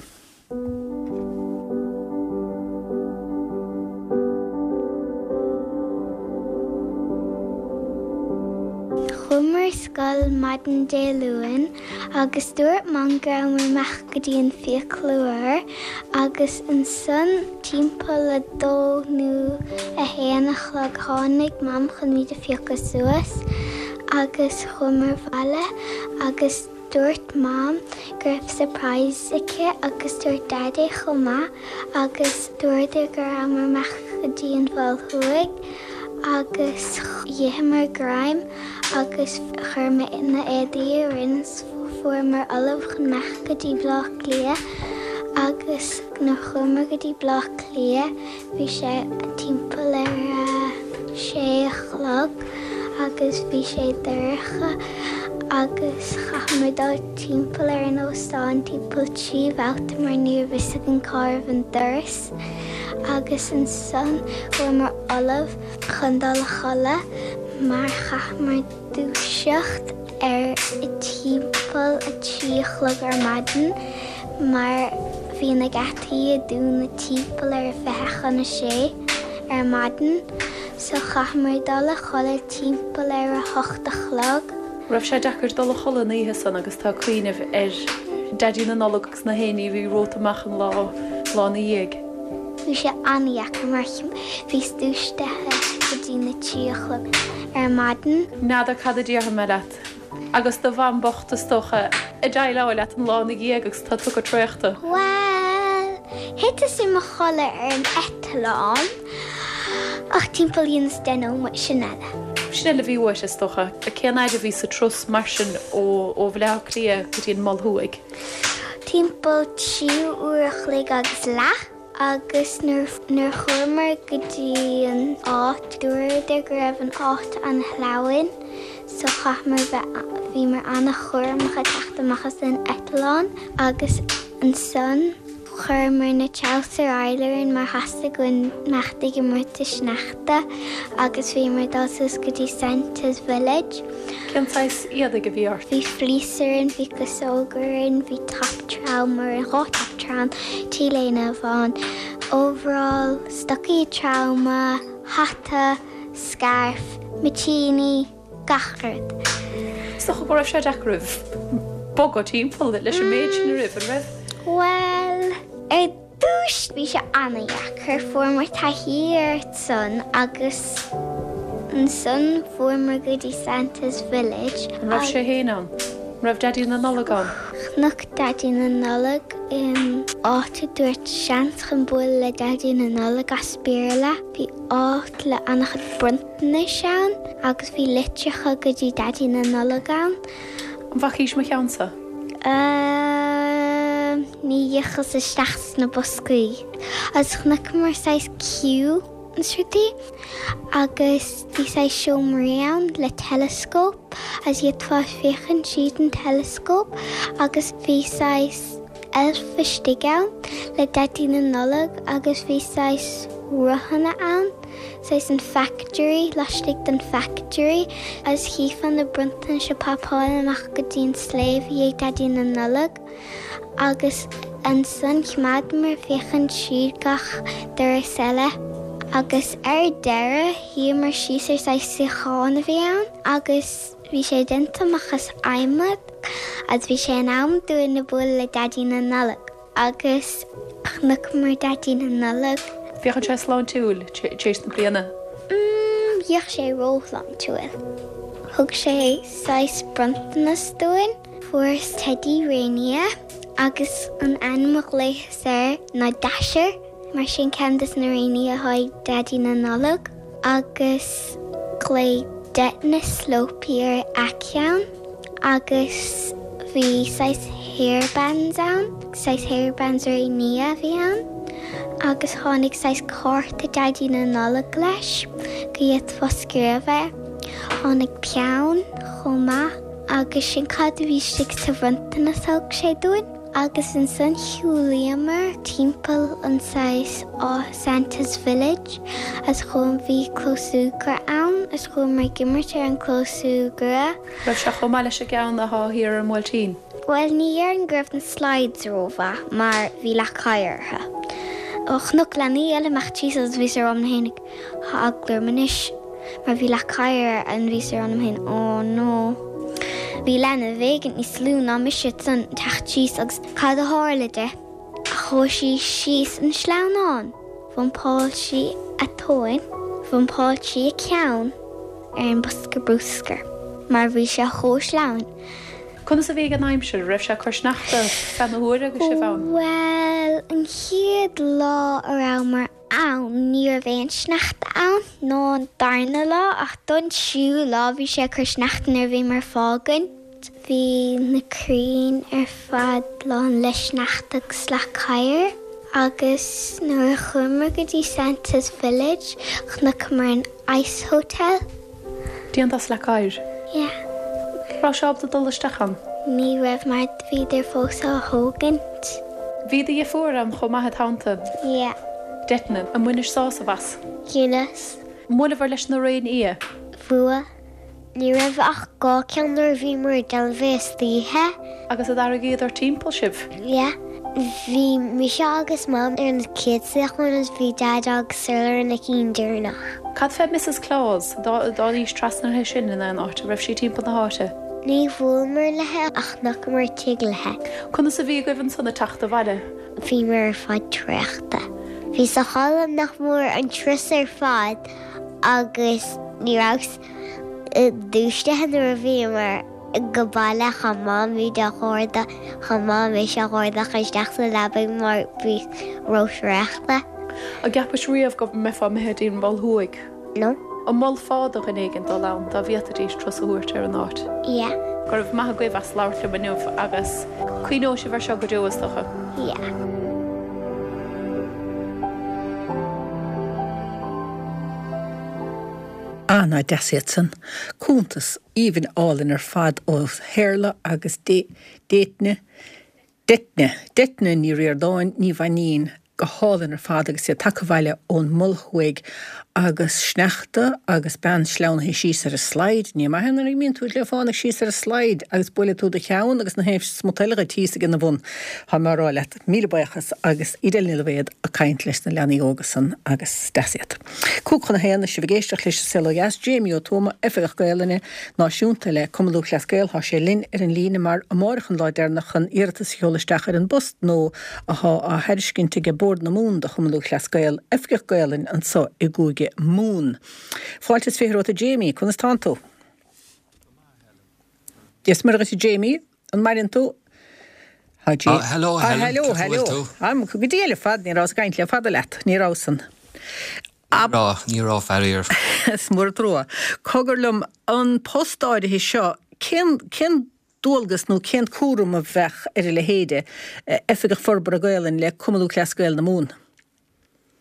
Chuamar ar scoil maidin Dé Luain agus dúirt Mam go rabhamar amach go dtí an fiaclóir agus ansan timpeall a dó nó a haon a chlog tháinig Mam chun muid a phiocadh suas agus chuamar abhaile agus Dúirt Mam go raibh surprise aici agus dúirt Daidí chomh maith agus dúradar go rabhamar amach go dtí an Mhol Thuaidh agus d'itheamar greim agus chuir mé na éadaí orainn is fuaireamar ullamh chun amach go dtí Baile Átha Cliath agus nuair chuamar go dtí Baile Átha Cliath Bhí sé timpeall ar a sé a chlog agus bhí sé dorcha agus chaitheamar dul timpeall ar an óstán timpeall 3 bhabhta mar ní raibh fhios againn cá raibh an doras agus ansan chuamar ullamh chun dul a chodladh mar chaitheamar dúiseacht ar timpeall a 3 a chlog ar maidin mar bhí na geataí ag dúnadh timpeall ar a 20 chun a sé ar maidin so chaitheamar dul a chodladh timpeall ar a hocht a chlog. Raibh sé deacair dul a chodladh an oíche san agus tú ag cuimhneamh ar Daidí na Nollag agus na héinní a bhí romhat amach an lá lá ina dhiaidh? Bhí sé an-dheacair mar bhíos dúisithe go dtí na trí a chlog ar maidin. N'fheadar cad a déarfaidh mé leat. Agus do mham bocht is dócha ag déileáil leat an lá ina dhiaidh agus tá tugtha traochta. Bhuel, thiteas i mo chodladh ar an eitleán ach timpeall dheineas deich nóiméad, sin eile. Sin eile a bhí uait is dócha. Cén fhaid a bhí sa turas mar sin ó Bhaile Átha Cliath go dtí an Mol Thuaidh? Timpeall 3 uair a chloig agus leath. Agus nuair a chuamar go dtí an áit, dúradar go raibh an áit an-shleamhain so chaitheamar bheith, bhíomar an-chúramach ag teacht amach as an eitleán agus ansan chuireamar na treabhsair araile orainn mar theastaigh uainn imeacht ag imirt sa sneachta agus bhíomar ag dul suas go dtí Santa's Village. Cén saghas éadaigh a bhí ort? Bhí fleece orainn, bhí casóg orainn, bhí top trom orainn, dhá top trom, T-léine bhán, overall, stocaí troma, hata, scarf, mitíní, gach rud. Is dócha go raibh sé deacair oraibh bogadh timpeall leis an méid sin oraibh, an raibh? Bhuel, ar dtús bhí sé an-dheacair, fuaireamar taithí air san agus ansan fuaireamar go dtí Santa's Village. An raibh sé féin ann? An raibh Daidí na Nollag ann? Chonac Daidí na Nollag in. áit a dúirt seans chun bualadh le Daidí na Nollag as Béarla. Bhí áit le an-chuid bronntanais ann agus bhí litreacha go dtí Daidí na Nollag ann. An bhfacaís mo cheannsa? Umm, ní dheachas isteach sna boscaí. Agus chonaiceamar saghas queue agus rudaí agus bhí saghas seomraí ann le telescope agus d'fhéadfá féachaint tríd an telescope agus bhí saghas elf istigh ann le Daidí na Nollag agus bhí saghas rothanna ann, saghas an factory, laistigh den factory agus chífeá na bronntanais ag popáil amach go dtí an sléibh i dhiaidh Daidí na Nollag agus ansan choimeádamar féachaint tríd gach doras eile agus ar deireadh shuíomar síos ar saghas suíochán a bhí ann agus bhí sé déanta amach as adhmad. Agus bhí sé in am dúinn a bualadh le Daidí na Nollag agus chonaiceamar Daidí na Nollag. Féachann sé sláintiúil tar éis na bliana. Mm, bhíodh sé róshláintiúil. Thug sé saghas bronntanas dúinn. Fuaireas teidí réinfhia agus an ainm a ghlaothas air ná Dasher. Mar sin ceann des na réinfhia atá ag Daidí na Nollag agus ghlaoigh Deighton Slopey ar a cheann agus bhí saghas hairbands ann, saghas hairbands réinfhia a bhí ann agus tháinig saghas cárta Daidí na Nollag leis go bhféadfá scríobh air. Tháinig peann chomh maith agus sin cad a bhí istigh sa bhronntanas a thug sé dúinn. Agus ansan shiúlaíomar timpeall an saghas áit Santa's Village agus chuam bhí clós súgartha ann agus chuamar ag imirt ar an clós súgartha. Raibh sé chomh maith leis an gceann athá thiar ar an mBuailtín? Bhuel ní dhéarfainn go raibh na slides rómhaith mar bhí leac oighir orthu. Chonac leanaí eile ag imeacht síos agus bhíos ag rá liom fhéinig Tá eagla orm anois mar bhí leac oighir ann bhíos ag rá liom féin oh no. Bhí leanbh éigin níos lú ná mise ansan ag teacht síos agus cad a tharla di? Chuaigh sí síos an sleamhnán, bhumpáil sí a tóin, bhumpáil sí a ceann ar an bosca bruscair mar bhí sé chomh sleamhain. Conas a bhí ag an aimsir? Raibh sé ag cur sneachta feadh na huaire agus sibh ann? Bhuel, an chéad lá a rabhamar ann. Ní raibh aon sneachta ann, ná an darna lá, ach don tríú lá bhí sé ag cur sneachta nuair a bhíomar ag fágaint. Bhí na crainn ar fad lán le sneachta agus leac oighir agus nuair a chuamar go dtí Santa's Village chonaiceamar an Ice Hotel. Déanta as leac oighir? Yeah. Raibh sé ábalta dul isteach ann? Ní raibh mar bhíodar fós á thógaint. Bhí do dheirfiúr ann chomh maith id theannta? Yeah. Deighton, An mbainis sásamh as? Bhaineas. An mbuaileabhair leis na réinfhia? Bhuail. Ní raibh ach 2 ceann nuair a bhíomar ag déanamh é istoíche. Agus a tharraingíodar timpeall sibh? Yeah. Bhí mise agus Mam ar na chéad suíocháin agus bhí Daid agus Saorla ar na cinn deireanach. Cad fé Mrs Claus? Dtáinís trasna uirthi sin in aon áit? An raibh sí timpeall na háite? Ní bhuaileamar léi ach chonaiceamar tigh léi. Conas a bhí agaibh ansan ag teacht abhaile? Bhíomar ar fad traochta. Bhíos a chodladh nach mór an turas ar fad agus ní rabhas dúisithe nuair a bhíomar go baile chaith Mamaí do dh'ardach, chaith Mam mise a dh'ardach isteach sa leabaidh mar bhíos ró-thraochta. An gceapais riamh go mbeifeá imithe dtí an Mol Thuaidh? No. An molfá do dhuine éigin dul ann dá bhféadfaidís turas a thabhairt ar an áit? Yeah. Go raibh maith agaibh as labhairt liom inniu agus cuimhneoidh sibh ar seo go deo is dócha. Yeah. Ah, nach deas iad san. Cuntas aoibhinn álainn ar fad ó Shaorla agus Déitne, Deitne, Deitne Ní Ríordáin, Ní Mhainín, go hálainn ar fad agus iad tagtha abhaile ón Mol Thuaidh agus sneachta agus bean sleamhnaithe síos ar an slide. Ní maith é nuair a imíonn tú le fánaidh síos ar an slide agus buaileann tú do cheann agus na haon smut eile dhuit thíos ag ina bhun. Tá mé á rá leat. Míle buíochas agus Edel Ní Loibhéad ag caint leis na leanaí óga san agus deas iad. 12:55 sibh ag éisteacht leis an Saol Ó Dheas, Jamie Ó Tuama, Oifigeach Gaelainne Náisiúnta le Cumann Lúthchleas Gael, thá sé linn ar an líne mar amáireach an lá deireanach chun iarratas a sheoladh isteach ar an bpost nua athá á thairiscint aige Bord na Mumhan do Chumann Lúthchleas Gael, Oifigeach Gaelainne anso i gCúige Mumhan. Fáilte is 20 romhat a Jamie, conas tánn tú? Dia is Muire dhuit a Jamie, an maireann tú? Tá Jamie. Ah, hello, Helen. Ah, hello, hello. Am, go diail ar fad, ní rabhas ag caint le fada leat, ní rabhas san. Ní raibh, ní raibh, faraor. Is mór an trua. Cogar liom, an post áirithe seo, cén, cén dualgas nó cén cúram a bheadh ar a leithéide, Oifigeach Forbartha Gaelainne le Cumann Lúthchleas Gael na Mumhan?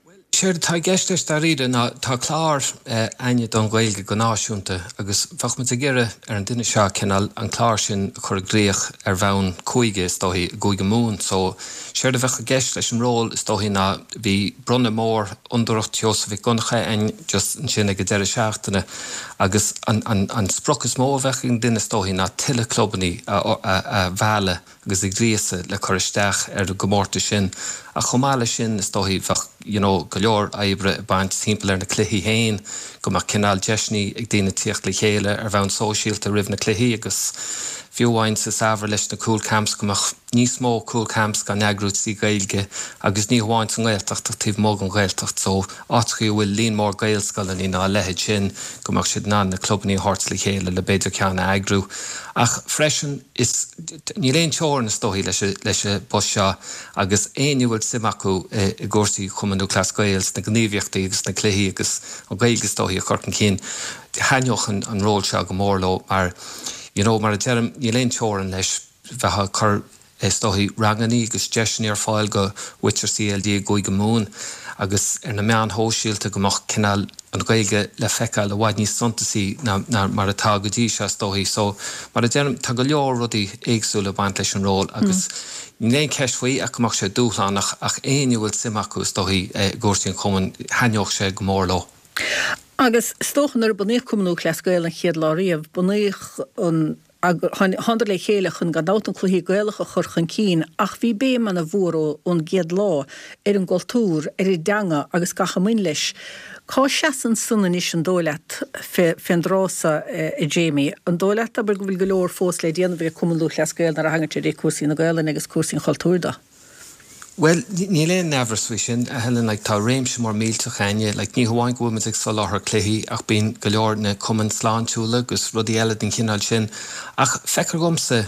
Bhuel, séard atá i gceist leis dáiríre ná tá clár a'inne don Ghaeilge go náisiúnta agus bheadh muid ag iarraidh ar an duine seo cineál an clár sin a chur i gcrích ar bhonn cúige is dóichí, i gCúige Mumhan. So, séard a bheadh i gceist leis an ról is dóichí ná bhí bronnadh mór Fhondúireacht Sheosaimh Mhic Dhonncha a'inn just ansin ag an deireadh seachtaine agus an, an, an sprioc is mó a bheadh ag an duine is dóichí ná tuilleadh clubannaí a, a, a mhealladh agus a ghríosadh le cur isteach ar an gcomórtas sin ach chomh maith leis sin is dóichí bheadh you know go leor oibre ag baint timpeall ar na cluichí féin, go mbeadh cineál deiseanna ag daoine tíocht le chéile ar bhonn sóisialta roimh na cluichí agus fiú amháin sa samhradh leis na cúl camps go mbeadh níos mó cúl camps á n-eagrú trí Ghaeilge agus ní hamháin sa nGaeltacht ach taobh amuigh den Ghaeltacht so áiteachaí a bhfuil líon mór Gaelscoileanna nó a leithéid sin go mbeadh siad in ann na clubannaí a thabhairt le chéile le b'fhéidir ceann a eagrú ach freisin Is, níl aon teorainn is dóichí leis leis an bpost seo agus éinne a bhfuil suim acu i gcúrsaí Chumann Lúthchleas Gael, sna gníomhaíochtaí agus sna cluichí agus an Ghaeilge is dóichí a chur chun cinn, thaitneodh an an ról seo go mór leo mar you know mar a deirim níl aon teorainn leis, bheifeá ag cur is dóichí rangannaí agus deiseanna ar fáil go mhuintir CLG i gCúige Mumhan agus ar na meáin shóisialta go mbeadh cineál an Ghaeilge le feiceáil i bhfad níos suntasaí ná mar atá go dtí seo is dóichí. So, mar a deirim, tá go leor rudaí éagsúla ag baint leis an ról agus níl aon cheist faoi ach go mbeadh sé dúshlánach ach éinne a bhfuil suim acu is dóichí i gcúrsaí an chumainn, thaitneodh sé go mór leo. Agus is dócha nuair a bunaíodh Cumann Lúthchleas Gael an chéad lá riamh, bunaíodh an Thánadar le chéile chun gan dabht an cluichí Gaelacha a chur chun cinn ach bhí béim ana mhór ón gcéad lá ar an gcultúr, ar an dteanga agus gach a mbain leis. Cá seasann san anois an dóigh leat fén dtráth so a Jamie? An dóigh leat abair go bhfuil go leor fós le déanamh ag Cumann Lúthchleas Gael nuair a thagann sé dtí cúrsaí na Gaelainne agus cúrsaí an chultúir de? Bhuel, níl aon amhras faoi sin, a Helen, like, tá réimse mór millteach a'inne, like, ní hamháin go bhfuil muid ag soláthar cluichí ach bíonn go leor na cumainn sláintiúla agus rudaí eile den chineál sin. Ach feictear dhomsa,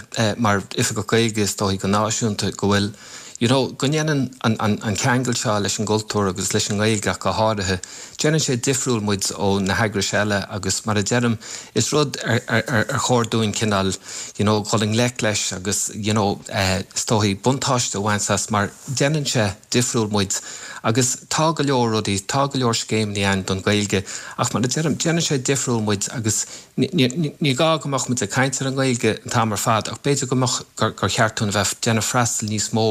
mar Oifigeach Gaeilge is dóichí go náisiúnta, go bhfuil, you know, go ndéanann an, an, an ceangal seo leis an gcultúr agus leis an nGaeilge ach go háirithe, Déanann sé difriúil muid ó na heagrais eile agus mar a deirim, is rud ar ar chóir dúinn cineál you know dhul i ngleic leis agus you know is dóichí buntáiste a bhaint as mar déanann sé difriúil muid agus tá go leor rudaí, tá go leor scéimeanna ann don Ghaeilge ach mar a deirim, déanann sé difriúil muid agus Ní gá go mbeadh muid ag caint ar an nGaeilge an t-am ar fad ach b'fhéidir go mbeadh, gur cheart dúinn a bheith ag déanamh freastal níos mó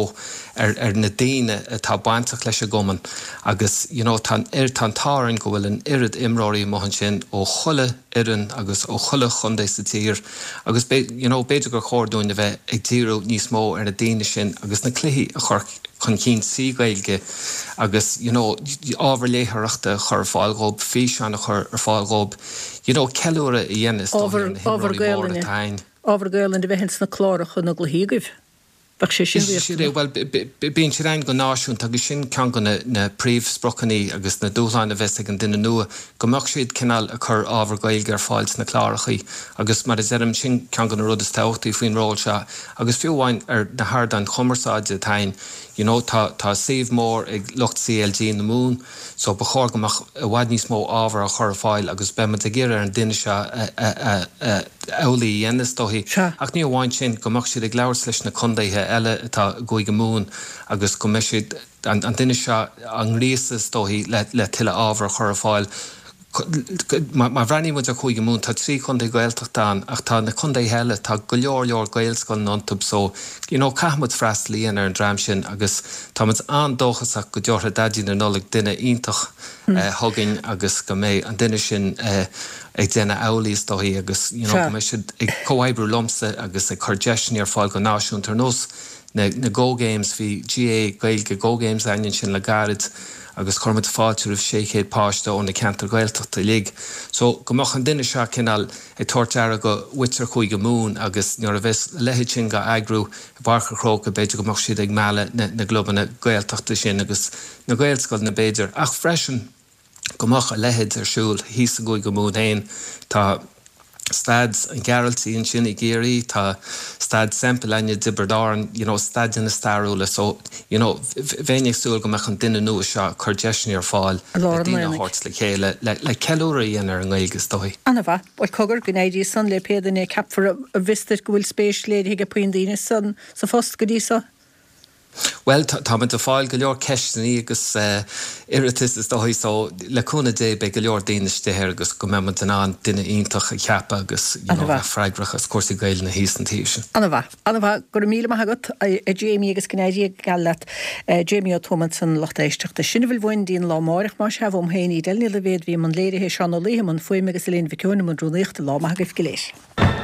ar ar na daoine atá bainteach leis an gcumann agus you know tá an tá an t-ádh orainn go bhfuil an oiread imreoirí amuigh ansin ó chuile fhoireann agus ó chuile chontae sa tír agus you know b'fhéidir gur chóir dúinn a bheith ag díriú níos mó ar na daoine sin agus na cluichí a chur chun cinn trí Ghaeilge agus you know ábhar léitheoireachta a chur ar fáil dhób, físeáin a chur ar fáil dhób, you know ceiliúradh a dhéanamh is dóigh ar na himreoirí móra atá againn. Ábhar Gaelainne a bheith ins na cláracha na gcluichí agaibh. Bheadh sé sin riachtanach. Bhuel, bíonn siad ann go náisiúnta agus sin ceann de na na príomhspriocanna agus na dúshláin a bheas ag an duine nua, go mbeadh siad cineál ag cur ábhar Gaeilge ar fáil sna clárachaí agus mar a deirim, sin ceann de na rudaí is tábhachtaí faoin ról seo. Agus fiú amháin ar na hardáin chumarsáide atá ann, you know, tá, tá suíomh mór ag lucht CLG na Mumhan, so ba chóir go mbeadh i bhfad níos mó ábhar á chur ar fáil agus beidh muid ag iarraidh ar an duine seo amhlaidh a dhéanamh is dóichí. Ach ní amháin sin, go mbeadh siad ag labhairt leis na contaetha eile atá i gCúige Mumhan agus go mbeidh siad, an duine seo á ngríosadh is dóichí le tuilleadh ábhar a chur ar fáil. Má bhreathnaíonn muid ar Chúige Mumhan, tá 3 chontae Gaeltachta ann ach tá na contaetha eile, tá go leor leor Gaelscoileanna iontu so you know caithfidh muid freastal a dhéanamh ar an dream sin agus tá muid an-dóchasach go dtabharfaidh Daidí na Nollag duine iontach chugainn agus go mbeidh an duine sin ag déanamh amhlaidh is dóichí agus you know go mbeidh siad ag comhoibriú liomsa agus ag cur deiseanna ar fáil go náisiúnta ar nós na na Go Games, bhí GAA Gaeilge Go Games againn ansin le gairid agus chuir muid fáilte roimh 600 páiste ó na ceantair Ghaeltachta uilig. So go mbeadh an duine seo cineál ag tabhairt aire go mhuintir Chúige Mumhan agus nuair a bheas a leithéid sin dhá eagrú i bPáirc an Chrócaigh b'fhéidir go mbeadh siad ag mealladh na na gclubanna Gaeltachta sin agus na Gaelscoileanna b'fhéidir ach freisin go mbeadh a leithéid ar siúl thíos i gCúige Mumhan féin. Tá. Staid an Ghearaltaigh ansin i gCiarraí, tá Staid Semple againne i dTiobraid Árann, you know, staideanna stairiúla so, you know, bheinn ag súil go mbeadh an duine nua seo ag cur deiseanna ar fáil I le lár an daoine a aonaigh. thabhairt le chéile le, le ceiliúradh a dhéanamh ar an nGaeilge is dóigh. Ana-mhaith. Bhuel, cogar, go n-éirí san le pé duine a ceapfar an bhfios duit go bhfuil spéis léirithe ag puinn daoine san, sa phost go dtí so. Bhuel, táimid ag fáil go leor ceisteanna agus iarratais is dóigh so le cúnamh Dé beidh go leor daoine istigh air agus go mbeidh muid in ann duine iontach a cheapadh agus you know bheith freagrach as cúrsaí Gaelainne thíos an taobh sin. Ana-mhaith. Ana-mhaith. Go raibh míle maith agat, a Jamie agus go n-éirí geal leat. Jamie Ó Tuama ansan, lucht éisteachta. Sin a bhfuil uainn go dtí an lá amáireach, más ea, uaim féin, Edel Ní Loibhéad, a bhí i mbun léirithe, Seán Ó Laoithe i mbun fuaime agus Elaine Mhic Eoin i mbun rúnaíochta. Lá maith agaibh go léir.